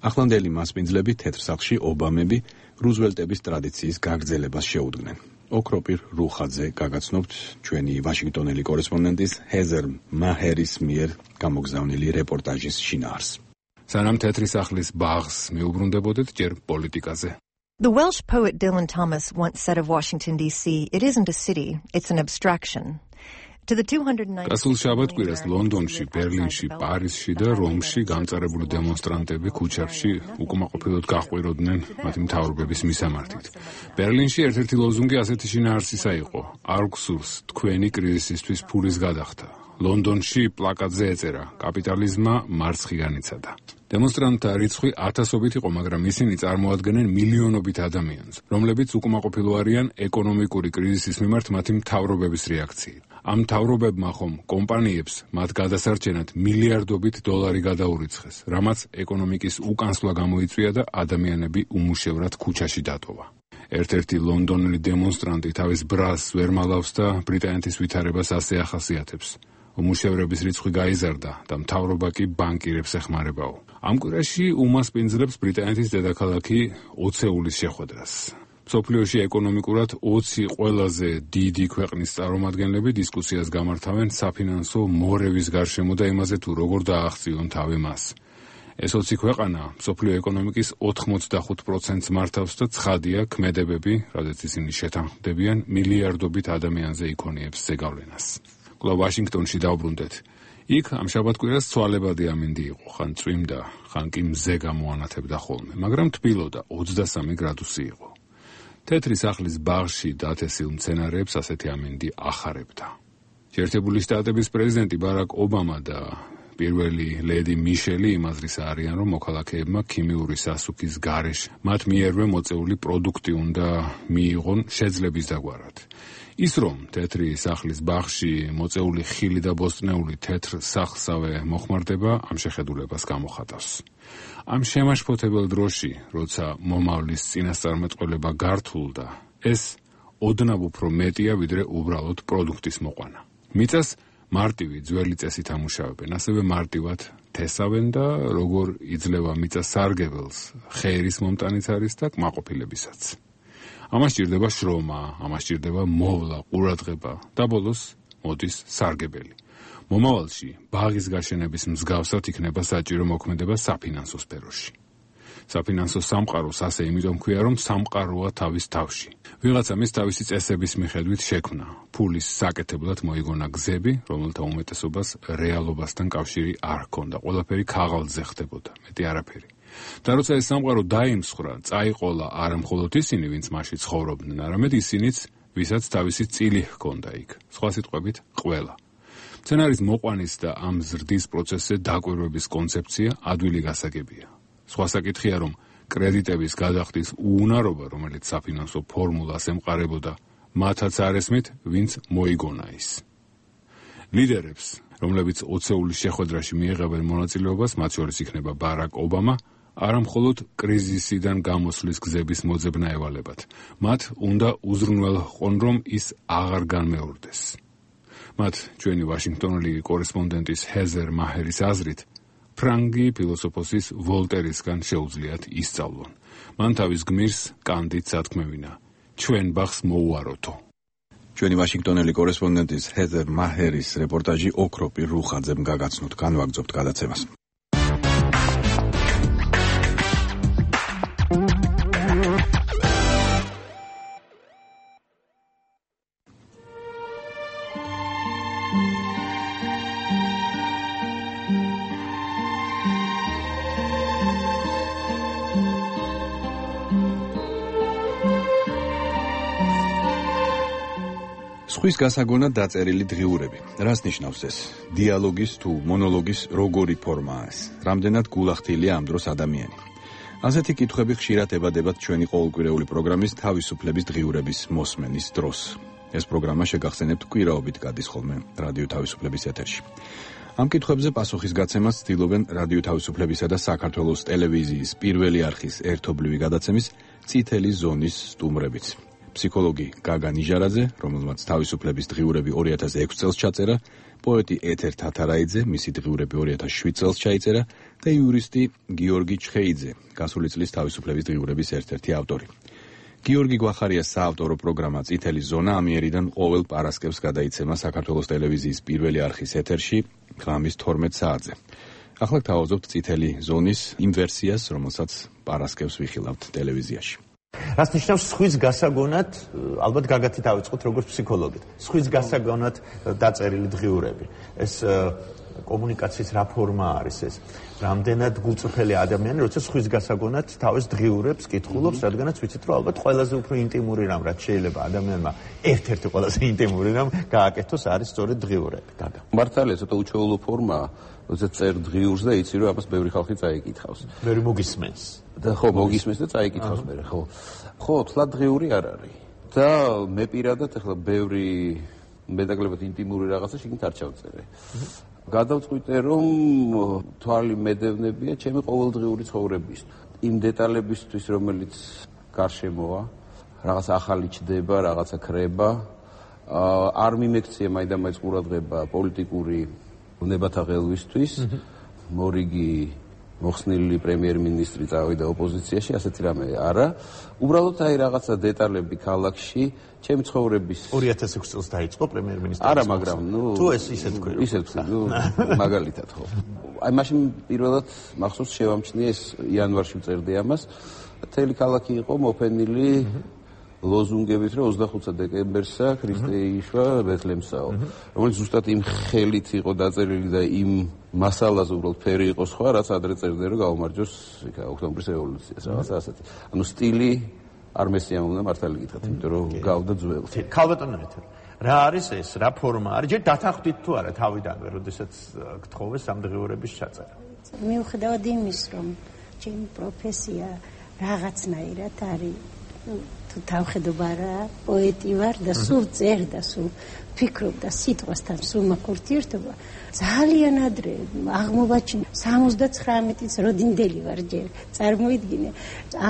ახლანდელი მასპინძლები თეთრ სახლში ობამები რუზველტების ტრადიციის გაგრძელებას შეუდგნენ. ოქროპირ რუხაძე გაგაცნობთ ჩვენი ვაშინგტონელი კორესპონდენტის ჰეზერ მაჰერის მიერ გამოგზავნილი რეპორტაჟის შინაარსს. სანამ თეთრი სახლის ბაღს მეუბრუნდებოდეთ ჯერ პოლიტიკაზე. The Welsh poet Dylan Thomas once said of Washington D C, it isn't a city, it's an abstraction. გასულ შაბათ-კვირას ლონდონში, ბერლინში, პარიზში და რომში გამწარებული დემონსტრანტები ქუჩებში უკმაყოფილოდ გაჰყვიროდნენ მათი მთავრობების მისამართით. ბერლინში ერთ-ერთი ლოზუნგი ასეთი შინაარსისა იყო: არ გსურს თქვენი კრიზისისთვის ფულის გადახდა. ლონდონში პლაკატზე ეწერა: კაპიტალიზმმა მარცხი განიცადა. დემონსტრანტთა რიცხვი ათასობით იყო, მაგრამ ისინი წარმოადგენენ მილიონობით ადამიანს, რომლებიც უკმაყოფილო არიან ეკონომიკური კრიზისის მიმართ მათი მთავრობების რეაქციით. ამ მთავრობებმა ხომ კომპანიებს მათ გადასარჩენად მილიარდობით დოლარი გადაურიცხეს, რამაც ეკონომიკის უკანსვლა გამოიწვია და ადამიანები უმუშევრად ქუჩაში დატოვა. ერთ-ერთი ლონდონელი დემონსტრანტი თავის ბრას ვერ მალავს და ბრიტანეთის ვითარებას ასე ახასიათებს: უმუშევრების რიცხვი გაიზარდა და მთავრობა კი ბანკირებს ეხმარებაო. ამ კვირაში უმასპინძლებს ბრიტანეთის დედაქალაქი ოცეულის შეხვედრას. მსოფლიოში ეკონომიკურად ოცი ყველაზე დიდი ქვეყნის წარმომადგენლები დისკუსიას გამართავენ საფინანსო მორევის გარშემო და იმაზე თუ როგორ დააღწიონ თავი მას. ეს ოცი ქვეყანა მსოფლიო ეკონომიკის ოთხმოცდახუთ პროცენტს მართავს და ცხადია ქმედებები, რადგან ისინი შეთანხმდებიან მილიარდობით ადამიანზე იქონიებს ზეგავლენას. კვლავ ვაშინგტონში დავბრუნდეთ. იქ ამ შაბათ-კვირას ცვალებადი ამინდი იყო, ხან წვიმდა, ხან კი მზე გამოანათებდა ხოლმე, მაგრამ თბილოდა ოცდასამი გრადუსი იყო. თეთრი სახლის ბაღში დათესილ მცენარეებს ასეთი ამინდი ახარებდა. შეერთებული შტატების პრეზიდენტი ბარაკ ობამა და პირველი ლედი მიშელი იმაზრისა არიან, რომ მოქალაქეებმა ქიმიური სასუქის გარეშე მათ მიერვე მოწეული პროდუქტი უნდა მიიღონ შეძლების დაგვარად. ის რომ თეთრი სახლის ბაღში მოწეული ხილი და ბოსტნეული თეთრ სახლსავე მოხმარდება, ამ შეხედულებას გამოხატავს. ამ შემაშფოთებელ დროში, როცა მომავლის წინასწარმეტყველება გართულდა, ეს ოდნავ უფრო მეტია, ვიდრე უბრალოდ პროდუქტის მოყვანა. მიწას მარტივი ძველი წესით ამუშავებენ, ასევე მარტივად თესავენ და როგორ იძლევა მიწა სარგებელს, ხერის მომტანიც არის და კმაყოფილებისაც. ამას ჭირდება შრომა, ამას ჭირდება მოვლა, ყურადღება და ბოლოს მოდის სარგებელი. მომავალში ბაღის გაშენების მსგავსად იქნება საჭირო მოქმედება საფინანსო სფეროში. საფინანსო სამყაროს ასე იმიტომ ქვია, რომ სამყაროა თავის თავში. ვიღაცა მის თავისი წესების მიხედვით შექმნა. ფულის საკეთებლად მოიგონა გზები, რომელთა უმეტესობას რეალობასთან კავშირი არ ჰქონდა. ყველაფერი ქაღალდზე ხდებოდა, მეტი არაფერი. და როცა ეს სამყარო დაიმსხვრა, წაიყოლა არა მხოლოდ ისინი, ვინც მასში ცხოვრობდნენ, არამედ ისინიც, ვისაც თავისი წილი ჰქონდა იქ. სხვა სიტყვებით, ყველა. სცენარის მოყვანის და ამ ზრდის პროცესზე დაკვირვების კონცეფცია ადვილი გასაგებია. სხვა საკითხია, რომ კრედიტების გადახდის უუნარობა, რომელიც საფინანსო ფორმულას ემყარებოდა, მათაც არ ესმით, ვინც მოიგონა ის. ლიდერებს, რომლებიც ოცეულის შეხვედრაში მიიღებენ მონაწილეობას, მათ შორის იქნება ბარაკ ობამა, არა მხოლოდ კრიზისიდან გამოსვლის გზების მოძებნა ევალებათ. მათ უნდა უზრუნველყონ, რომ ის აღარ განმეორდეს. მათ ჩვენი ვაშინგტონელი კორესპონდენტის ჰეზერ მაჰერის აზრით, ფრანგი ფილოსოფოსის ვოლტერისგან შეუძლიათ ისწავლონ. მან თავის გმირს კანდით სათქმევინა: ჩვენ ბახს მოუაროთო. ჩვენი ვაშინგტონელი კორესპონდენტის ჰეზერ მაჰერის რეპორტაჟი ოქროპი რუხაძემ გაგაცნოთ, განვაგრძობთ გადაცემას. სხვის გასაგონად დაწერილი დღიურები. რას ნიშნავს ეს? დიალოგის თუ მონოლოგის როგორი ფორმაა ეს? რამდენად გულახდილია ამ დროს ადამიანი? ასეთი კითხვები ხშირად ებადებათ ჩვენი ყოველკვირეული პროგრამის თავისუფლების დღიურების მოსმენის დროს. ეს პროგრამა შეგახსენებთ კვირაობით გადის ხოლმე რადიო თავისუფლების ეთერში. ამ კითხვებზე პასუხის გაცემას ცდილობენ რადიო თავისუფლებისა და საქართველოს ტელევიზიის პირველი არხის ერთობლივი გადაცემის წითელი ზონის სტუმრებიც. ფსიქოლოგი გაგა ნიჟარაძე, რომელმაც თავისუფლების დღიურები ორი ათას ექვსი წელს ჩაწერა, პოეტი ეთერ თათარაიძე, მისი დღიურები ორი ათას შვიდ წელს ჩაიწერა და იურისტი გიორგი ჩხეიძე, გასული წლის თავისუფლების დღიურების ერთ-ერთი ავტორი. გიორგი გვახარიას საავტორო პროგრამა წითელი ზონა ამიერიდან ყოველ პარასკევს გადაიცემა საქართველოს ტელევიზიის პირველი არხის ეთერში ღამის თორმეტ საათზე. ახლა გთავაზობთ წითელი ზონის იმ ვერსიას, რომელსაც პარასკევს ვიხილავთ ტელევიზიაში. რას ნიშნავს სხვის გასაგონად, ალბათ გაგათი დავიწყოთ როგორც ფსიქოლოგით. სხვის გასაგონად დაწერილი დღიურები. ეს კომუნიკაციის რა ფორმა არის ეს? რამდენად გულწრფელი ადამიანი, როცა სხვის გასაგონად თავის დღიურებს კითხულობს, რადგანაც ვიცით, რომ ალბათ ყველაზე უფრო ინტიმური რამ, რაც შეიძლება ადამიანმა ერთ-ერთი ყველაზე ინტიმური რამ გააკეთოს, არის სწორედ დღიურები. გაგა. მართალია, ცოტა უჩვეულო ფორმაა, როცა წერ დღიურს და იცი, რომ ამას ბევრი ხალხი წაიკითხავს. ბევრი მოგისმენს. და ხო, მოგისმენს და წაიკითხავს მე, ხო. ხო, თლად დღიური არ არის. და მე პირადად ახლა ბევრი მეტაკლებად ინტიმური რაღაცა შეგნით არ ჩავწერე. გადავწყვიტე, რომ თვალი მედევნებია ჩემი ყოველდღიური ცხოვრების. იმ დეტალებისთვის, რომელიც გარშემოა, რაღაც ახალი ჩდება, რაღაცა ქრება, არ მიმექცია მაინდა-მაინც ყურადღება პოლიტიკური უნებათა ღელვისთვის, მორიგი მოხსნილი პრემიერ-მინისტრი წავიდა ოპოზიციაში, ასეთი რამე არა. უბრალოდ აი რაღაცა დეტალები ქალაქში, ჩემი ცხოვრების ორი ათას ექვსი წელს დაიწყო პრემიერ-მინისტრის. არა, მაგრამ ნუ თუ ეს ისე თქვი. ისე თქვი, ნუ მაგალითად ხო. აი მაშინ პირველად მახსოვს შევამჩნიე ეს იანვარში ვწერდი ამას. მთელი ქალაქი იყო მოფენილი ლოზუნგებით, რომ ოცდახუთი დეკემბერსა ქრისტე იშვა ბეთლემსაო, რომელიც ზუსტად იმ ხელით იყო დაწერილი და იმ მასალაზე უბრალოდ ფერი იყო სხვა, რაც ადრე წერდნენ, რომ გაუმარჯოს ოქტომბრის რევოლუციას, რაღაცა ასეთი. ანუ სტილი არ მესიამოვნდა მართალი გითხრათ, იმიტომ რომ გავდა ძველი. ქალბატონო ეთერ. რა არის ეს? რა ფორმა არის? ჯერ დათანხმდით თუ არა თავიდანვე, როდესაც გთხოვეს ამ დღიურების ჩაწერა? მიუხედავად იმის, რომ ჩემი პროფესია რაღაცნაირად არის თუ თავხედობა რა, პოეტი ვარ და სულ წერ და სულ ფიქრობ და სიტყვასთან სულ მაქურთიერთობა, ძალიან ადრე აღმოვაჩინე სამოცდაცხრამეტი როდინდელი ვარ ჯერ, წარმოიდგინე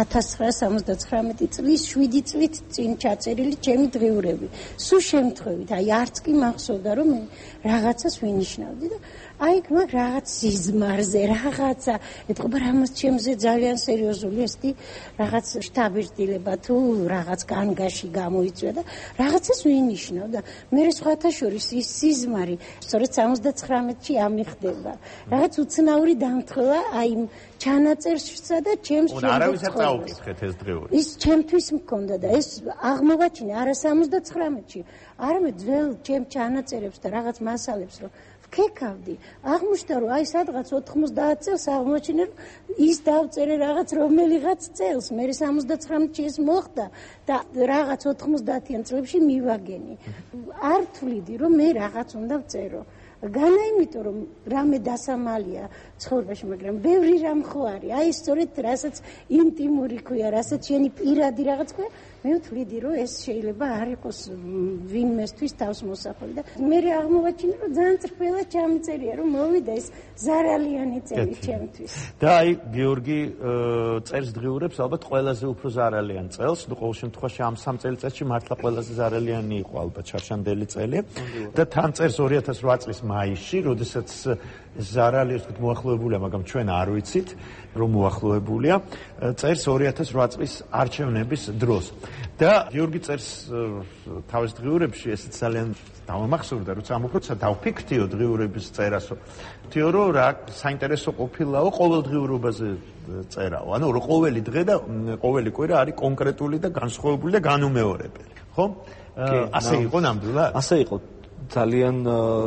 ათას ცხრაასა სამოცდაცხრამეტი წლის შვიდი წლით წინ ჩაწერილი ჩემი დღიურები. სულ შემთხვევით, აი არც კი მახსოვდა რომ მე რაღაცას ვინიშნავდი და აი მაგ რაღაც სიზმარზე, რაღაცა, ეთყობა რამაც ჩემზე ძალიან სერიოზული ესეთი რაღაც შთაბეჭდილება თუ რაღაც განგაში გამოიწვია და რაღაცას ვინიშნავ და მე სხვათა შორის ის სიზმარი სწორედ სამოცდაცხრამეტში ამიხდება. რაღაც უცნაური დამთხევა აი ჩანაწერსა და ჩემს შემდგომ. არავის არ წაუკითხეთ ეს დღეული. ის ჩემთვის მქონდა და ეს აღმოვაჩინე არა სამოცდაცხრამეტში, არამედ ძველ ჩემ ჩანაწერებს და რაღაც მასალებს რომ ვქეკავდი. აღმოჩნდა რომ აი სადღაც ოთხმოცდაათ წელს აღმოჩინე რომ ის დავწერე რაღაც რომელიღაც წელს, მე სამოცდაცხრამეტში ეს მოხდა და რაღაც ოთხმოცდაათიან წლებში მივაგენი. არ თვლიდი რომ მე რაღაც უნდა ვწერო. განა იმიტომ რომ რამე დასამალია ცხოვრებაში, მაგრამ ბევრი რამ ხო არის. აი სწორედ რასაც ინტიმური ქვია, რასაც შენი პირადი რაღაც ქვია, მე ვთვლიდი რომ ეს შეიძლება არ იყოს ვინმესთვის თავს მოსახული და მე აღმოვაჩინე რომ ძალიან წრფელად ჩამწერია რომ მოვიდა ეს ზარალიანი წელი ჩემთვის. და აი გიორგი წერს დღიურებს ალბათ ყველაზე უფრო ზარალიან წელს, ნუ ყოველ შემთხვევაში ამ სამ წელიწადში მართლა ყველაზე ზარალიანი იყო ალბათ ჩარშანდელი წელი და თან წერს ორი ათას რვა წლის მაისში, როდესაც ზარალი ისეთ მოახლოებულია, მაგრამ ჩვენ არ ვიცით რომ მოახლოებულია. წერს ორი ათას რვა წლის არჩევნების დროს. და გიორგი წერს თავის დღიურებში ესეც ძალიან დავამახსოვრდა, როცა ამ უბრალოდ დავფიქრთიო დღიურების წერასო. ვთიო რომ რა საინტერესო ყოფილაო ყოველ დღიურობაზე წერაო. ანუ რომ ყოველი დღე და ყოველი კვირა არის კონკრეტული და განსხვავებული და განუმეორებელი. ხო? ასე იყო ნამდვილად? ასე იყო. ძალიან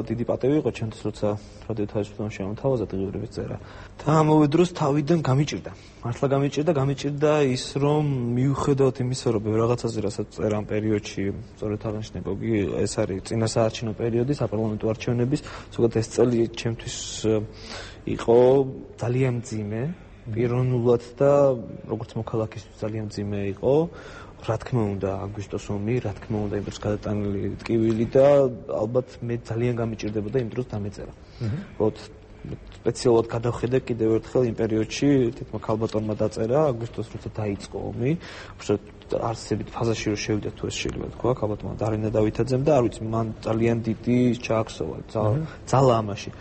დიდი პატევი იყო ჩემთვის, როცა რადიო თავისუფლება შემოთავაზა დღიურების წერა. და ამავე დროს თავიდან გამიჭირდა. მართლა გამიჭირდა, გამიჭირდა ის, რომ მიუხედავად იმისა, რომ ბევრ რაღაცაზე რასაც წერა ამ პერიოდში, სწორედ აღნიშნე გოგი, ეს არის წინასაარჩევნო პერიოდი, საპარლამენტო არჩევნების, ზოგადად ეს წელი ჩემთვის იყო ძალიან მძიმე, პიროვნულად და როგორც მოქალაქისთვის ძალიან მძიმე იყო. რა თქმა უნდა, აგვისტოს ომი, რა თქმა უნდა, იმ დროს გადატანილი ტკივილი და ალბათ მე ძალიან გამიჭირდებოდა იმ დროს დამეწერა. ვთქვათ, სპეციალურად გადავხედე კიდევ ერთხელ იმ პერიოდში, თითქოს ქალბატონმა დაწერა, აგვისტოს როცა დაიწყო ომი, უბრალოდ არსებით ფაზაში რომ შევიდა თუ ეს შეიძლება თქვა, ქალბატონმა დარინა დავითაძემ და არ ვიცი, მან ძალიან დიდი ჩააქსოვა, ძალა ამაში.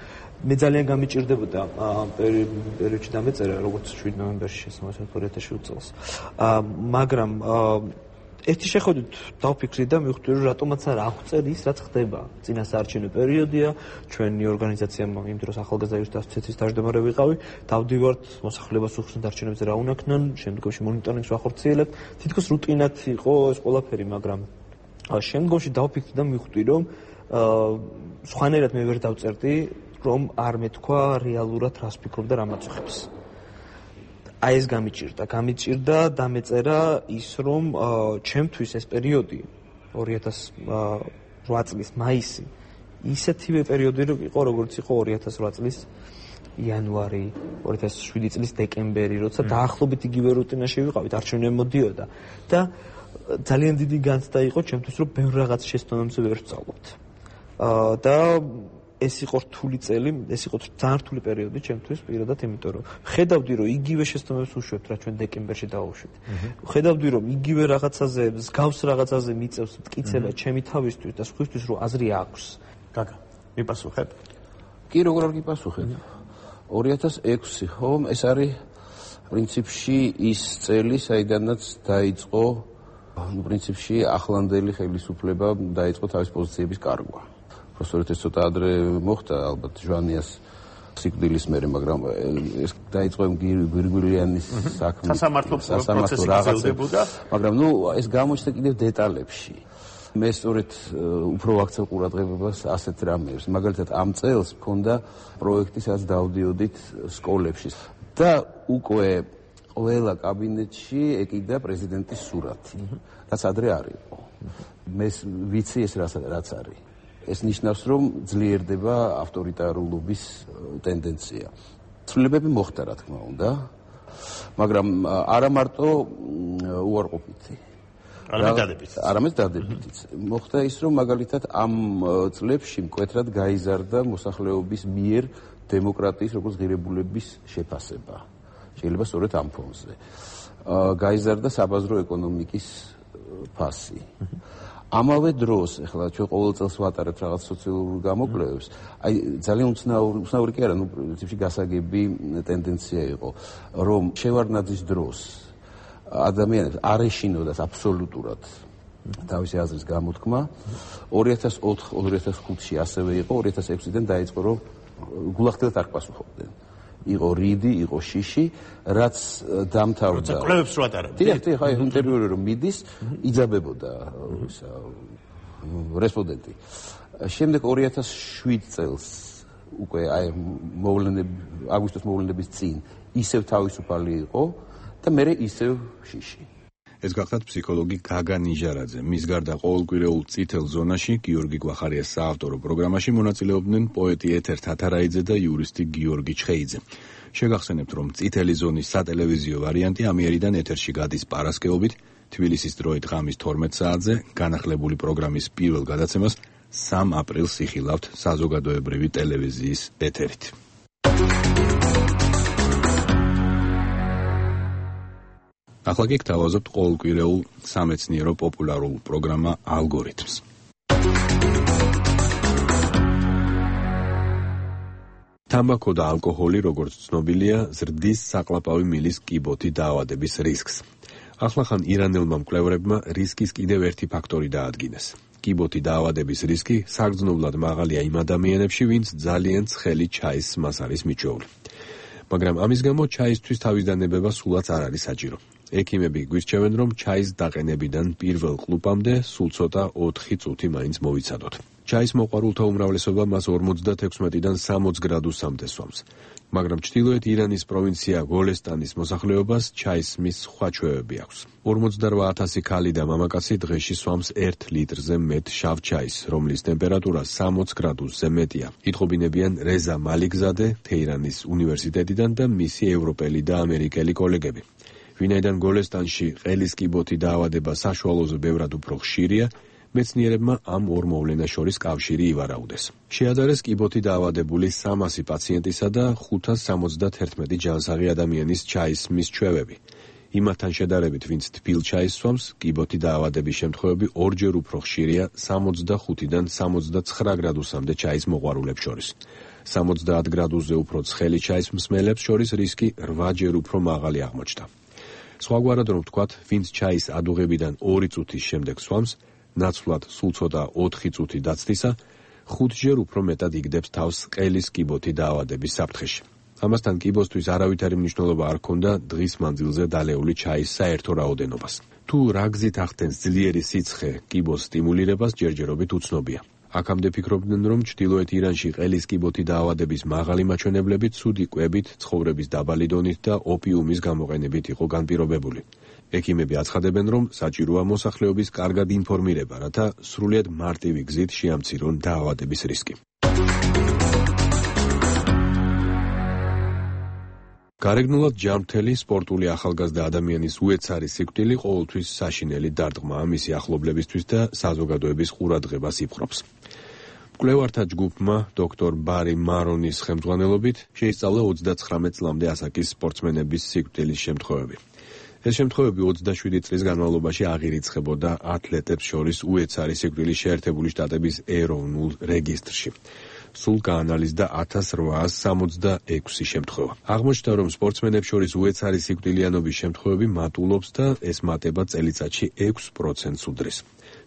მე ძალიან გამიჭირდებოდა ამ პერიოდში დამეწერა, როგორც შვიდ ნოემბერში შესაძლოა ორი ათას შვიდ წელს. მაგრამ ერთი შეხედვით დავფიქრდი და მივხვდი, რომ რატომაც არ აღწერ ის, რაც ხდება. წინასაარჩევნო პერიოდია, ჩვენი ორგანიზაცია იმ დროს ახალგაზრდა იურისტთა ასოციაციის თავმჯდომარე ვიყავი, დავდივართ მოსახლეობას უხსნით არჩევნებზე რა უნაქნან, შემდგომში მონიტორინგს ვახორციელებთ. თითქოს რუტინად იყო ეს ყველაფერი, მაგრამ შემდგომში დავფიქრდი და მივხვდი, რომ სხვანაირად მე ვერ დავწერდი, რომ არ მეთქვა რეალურად რას ფიქრობ და რა მაწუხებს. აი ეს გამიჭირდა, გამიჭირდა დამეწერა ის, რომ ჩემთვის ეს პერიოდი ორი ათას რვა წლის მაისი ისეთივე პერიოდი იყო, როგორც იყო ორი ათას რვა წლის იანვარი, ორი ათას შვიდი წლის დეკემბერი, როცა დაახლოებით იგივე რუტინაში ვიყავით, არჩევნები მოდიოდა და ძალიან დიდი განცდა იყო ჩემთვის, რომ ბევრ რაღაც შეცდომებზე ვერ ვსწავლობთ. და ეს იყო რთული წელი, ეს იყო ძალიან რთული პერიოდი ჩემთვის პირადად, იმიტომ რომ ხედავდი, რომ იგივე შეცდომებს უშვებთ, რა ჩვენ დეკემბერში დავუშვით. ხედავდი, რომ იგივე რაღაცაზე, მსგავს რაღაცაზე მიწევს მტკიცება ჩემი თავისთვის და სხვისთვის, რომ აზრი აქვს. გაგა, მიპასუხებ? კი, როგორ არ გიპასუხებ? ორი ათას ექვსი, ხო, ეს არის პრინციპში ის წელი, საიდანაც დაიწყო, ну, პრინციპში ახლანდელი ხელისუფლება დაიწყო თავის პოზიციების კარგვა. Prostore ეს ცოტა ადრე მოხდა ალბათ ჟვანიას სიკვდილის მერე, მაგრამ ეს დაიწყო გვირგვირიანის საქმე. სასამართლო პროცესი გრძელდებოდა, მაგრამ ნუ ეს გამოჩნდა კიდევ დეტალებში. მე სწორედ უფრო ვაქცევ ყურადღებას ასეთ რამეებს. მაგალითად ამ წელს მქონდა პროექტი, სადაც დავდიოდით სკოლებში და უკვე ყველა კაბინეტში ეკიდა პრეზიდენტის სურათი, რაც ადრე არ იყო. მე ვიცი ეს რაც არის. ეს ნიშნავს, რომ ძლიერდება ავტორიტარულობის ტენდენცია. ცვლილებები მოხდა, რა თქმა უნდა, მაგრამ არა მარტო უარყოფითი. არამედ დადებითიც. არამედ დადებითიც. მოხდა ის, რომ მაგალითად ამ წლებში მკვეთრად გაიზარდა მოსახლეობის მიერ დემოკრატიის როგორც ღირებულების შეფასება. შეიძლება სწორედ ამ ფონზე. გაიზარდა საბაზრო ეკონომიკის ფასი. ამავე დროს, ეხლა ჩვენ ყოველ წელს ვატარებთ რაღაც სოციალურ გამოკვლევებს, აი ძალიან უცნაური, უცნაური კი არა, ნუ პრინციპში გასაგები ტენდენცია იყო, რომ შევარდნაძის დროს ადამიანებს არ ეშინოდათ აბსოლუტურად თავისი აზრის გამოთქმა. ორი ათას ოთხ ორი ათას ხუთში ასევე იყო, ორი ათას ექვსიდან დაიწყო, რომ გულახდილად არ პასუხობდნენ. იყო რიდი, იყო შიში, რაც დამთავრდა. როცა კვლევებს რო ატარებდნენ. დიახ, დიახ, აი ინტერვიუები რომ მიდის, იძაბებოდა ისა რესპონდენტი. შემდეგ ორი ათას შვიდ წელს უკვე აი მოვლენები, აგვისტოს მოვლენების წინ ისევ თავისუფალი იყო და მერე ისევ შიში. ეს გახლავთ ფსიქოლოგი გაგა ნიჟარაძე. მის გარდა ყოველკვირეულ წითელ ზონაში გიორგი გვახარიას საავტორო პროგრამაში მონაწილეობდნენ პოეტი ეთერ თათარაიძე და იურისტი გიორგი ჩხეიძე. შეგახსენებთ, რომ წითელი ზონის სატელევიზიო ვარიანტი ამიერიდან ეთერში გადის პარასკევობით, თბილისის დროით ღამის თორმეტ საათზე, განახლებული პროგრამის პირველ გადაცემას სამ აპრილს იხილავთ საზოგადოებრივი ტელევიზიის ეთერით. ახლა კი გთავაზობთ ყოველკვირეულ სამეცნიერო პოპულარულ პროგრამა ალგორითმს. თამბაქო და ალკოჰოლი, როგორც ცნობილია, ზრდის საყლაპავი მილის კიბოთი დაავადების რისკს. ახლახან ირანელმა მკვლევარებმა რისკის კიდევ ერთი ფაქტორი დაადგინეს. კიბოთი დაავადების რისკი საგრძნობლად მაღალია იმ ადამიანებში, ვინც ძალიან ცხელი ჩაის სმას არის მიჩვეული. მაგრამ ამის გამო ჩაისთვის თავისდადებება სულაც არ არის საჭირო. ექიმები გვირჩევენ, რომ ჩაის დაყენებიდან პირველ ყლუპამდე სულ ცოტა ოთხი წუთი მაინც მოვიცადოთ. ჩაის მოყვარულთა უმრავლესობა მას ორმოცდათექვსმეტიდან სამოცი გრადუსამდე სვამს. მაგრამ ჩრდილოეთ ირანის პროვინცია გოლესტანის მოსახლეობას ჩაის სმის სხვა ჩვევები აქვს. ორმოცდარვა ათასი ქალი და მამაკაცი დღეში სვამს ერთ ლიტრზე მეტ შავ ჩაის, რომლის ტემპერატურა სამოცი გრადუსზე მეტია. ითხოვინებიან რეზა მალიქზადე თეირანის უნივერსიტეტიდან და მისი ევროპელი და ამერიკელი კოლეგები. ვინაიდან გოლესტანში ყელის კიბოთი დაავადება საშუალოზე ბევრად უფრო ხშირია, მეცნიერებმა ამ ორ მოვლენას შორის კავშირი ივარაუდეს. შეადარეს კიბოთი დაავადებული სამასი პაციენტისა და ხუთას სამოცდათერთმეტი ჯანსაღი ადამიანის ჩაის სმის ჩვევები. იმათთან შედარებით, ვინც თბილ ჩაის სვამს, კიბოთი დაავადების შემთხვევები ორჯერ უფრო ხშირია სამოცდახუთიდან სამოცდაცხრა გრადუსამდე ჩაის მოყვარულებს შორის. სამოცდაათ გრადუსზე უფრო ცხელი ჩაის მსმელებს შორის რისკი რვაჯერ უფრო მაღალი აღმოჩნდა. სხვაგვარად რომ ვთქვათ, ვინც ჩაის ადუღებიდან ორი წუთის შემდეგ სვამს, ნაცვლად სულ ცოტა ოთხი წუთი დაცდისა, ხუთჯერ უფრო მეტად იგდებს თავს ყელის კიბოთი დაავადების საფრთხეში. ამასთან კიბოსთვის არავითარი მნიშვნელობა არ ჰქონდა დღის მანძილზე დალეული ჩაის საერთო რაოდენობას. თუ რა გზით ახდენს ძლიერი სიცხე კიბოს სტიმულირებას, ჯერჯერობით უცნობია. აქამდე ფიქრობდნენ, რომ ჩრდილოეთ ირანში ყელის კიბოთი დაავადების მაღალი მაჩვენებლები ცუდი კვებით, ცხოვრების დაბალი დონით და ოპიუმის გამოყენებით იყო განპირობებული. ექიმები აცხადებენ, რომ საჭიროა მოსახლეობის კარგად ინფორმირება, რათა სრულიად მარტივი გზით შეამცირონ დაავადების რისკი. გარეგნულად ჯანმრთელი სპორტული ახალგაზრდა ადამიანის უეცარი სიკვდილი ყოველთვის საშინელი დარტყმაა მისი ახლობლებისთვის და საზოგადოების ყურადღებას იპყრობს. მკვლევართა ჯგუფმა დოქტორ ბარი მარონის ხელმძღვანელობით შეისწავლა ოცდაცხრამეტ წლამდე ასაკის სპორტსმენების სიკვდილის შემთხვევები. ეს შემთხვევები ოცდაშვიდი წლის განმავლობაში აღირიცხებოდა ათლეტებს შორის უეცარი სიკვდილის შეერთებული შტატების ეროვნულ რეგისტრში. სულ გაანალიზდა ათას რვაას სამოცდაექვსი შემთხვევა. აღმოჩნდა, რომ სპორტსმენებს შორის უეცარი სიკვდილიანობის შემთხვევები მატულობს და ეს მატება წელიწადში ექვს პროცენტს უდრის.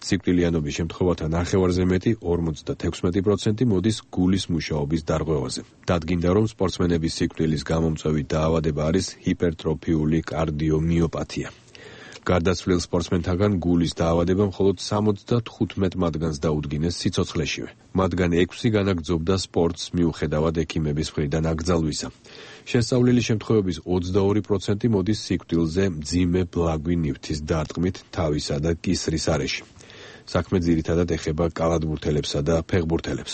სიკვდილიანობის შემთხვევათა ნახევარზე მეტი, ორმოცდათექვსმეტი პროცენტი მოდის გულის მუშაობის დარღვევაზე. დადგინდა, რომ სპორტსმენების სიკვდილის გამომწვევი დაავადება არის ჰიპერტროფიული კარდიომიოპათია. გარდაცვლილ სპორტსმენთაგან გულის დაავადება მხოლოდ სამოცდათხუთმეტ მათგანს დაუდგინეს სიცოცხლეშივე. მათგან ექვსი განაგრძობდა სპორტს მიუხედავად ექიმების მხრიდან აკრძალვისა. შესწავლილი შემთხვევების ოცდაორი პროცენტი მოდის სიკვდილზე მძიმე ბლაგვი ნივთის დარტყმით თავისა და კისრის არეში. საქმე ძირითადად ეხება კალათბურთელებსა და ფეხბურთელებს.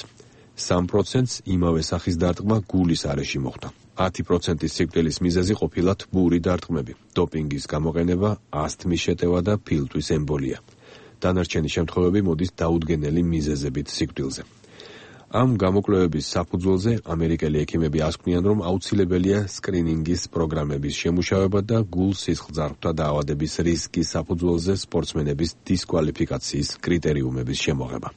სამ პროცენტს იმავე სახის დარტყმა გულის არეში მოხდა. ათი პროცენტის სიკვდილის მიზეზი ყოფილა თბური დარტყმები, დოპინგის გამოყენება, ასთმის შეტევა და ფილტვის ემბოლია. დანარჩენი შემთხვევები მოდის დაუდგენელი მიზეზებით სიკვდილზე. ამ გამოკვლევების საფუძველზე ამერიკელი ექიმები ასკვნიან, რომ აუცილებელია სკრინინგის პროგრამების შემუშავება და გულ-სისხლძარღვთა დაავადების რისკის საფუძველზე სპორტსმენების დისკვალიფიკაციის კრიტერიუმების შემოღება.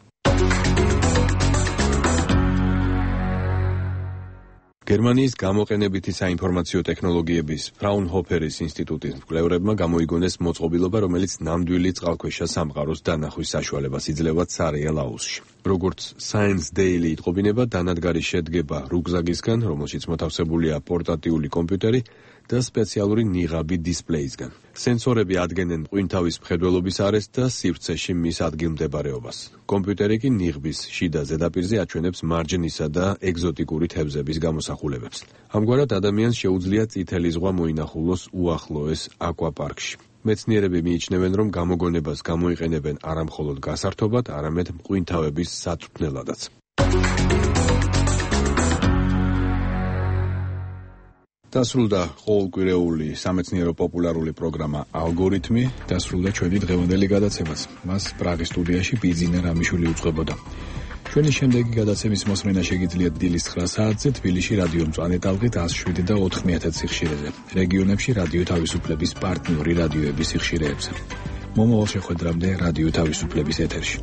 გერმანიის გამოყენებითი საინფორმაციო ტექნოლოგიების ფრაუნჰოფერის ინსტიტუტის მკვლევრებმა გამოიგონეს მოწყობილობა, რომელიც ნამდვილი წყალქვეშა სამყაროს დანახვის საშუალებას იძლევა ცარეალ აუზში. როგორც Science Daily იტყობინება, დანადგარი შედგება რუგზაკისგან, რომელშიც მოთავსებულია პორტატიული კომპიუტერი და სპეციალური ნიღაბი დისპლეისგან. სენსორები ადგენენ მყინთავის მხედველობის არეს და სივრცეში მის ადგილმდებარეობას. კომპიუტერი კი ნიღბის შიდა ზედაპირზე აჩვენებს მარჯნისა და ეგზოტიკური თევზების გამოსახულებებს. ამგვარად ადამიანს შეუძლია წითელი ზღვა მოინახულოს უახლოეს აკვაპარკში. მეცნიერები მიიჩნევენ, რომ გამოგონებას გამოიყენებენ არამხოლოდ გასართობად, არამედ მყინთავების საწვრთნელადაც. დასრულდა ყოველკვირეული სამეცნიერო პოპულარული პროგრამა ალგორითმი, დასრულდა ჩვენი დღევანდელი გადაცემაც. მას პრაღის სტუდიაში ბიძინა რამიშვილი უწყებოდა. ჩვენი შემდეგი გადაცემის მოსმენა შეგიძლიათ დილის ცხრა საათზე თბილისში რადიო მწვანე ტალღით ათას შვიდი და ოთხ მიათეც სიხშირეზე. რეგიონებში რადიო თავისუფლების პარტნიორი რადიოების სიხშირეებზე. მომავალ შეხვედრამდე რადიო თავისუფლების ეთერში.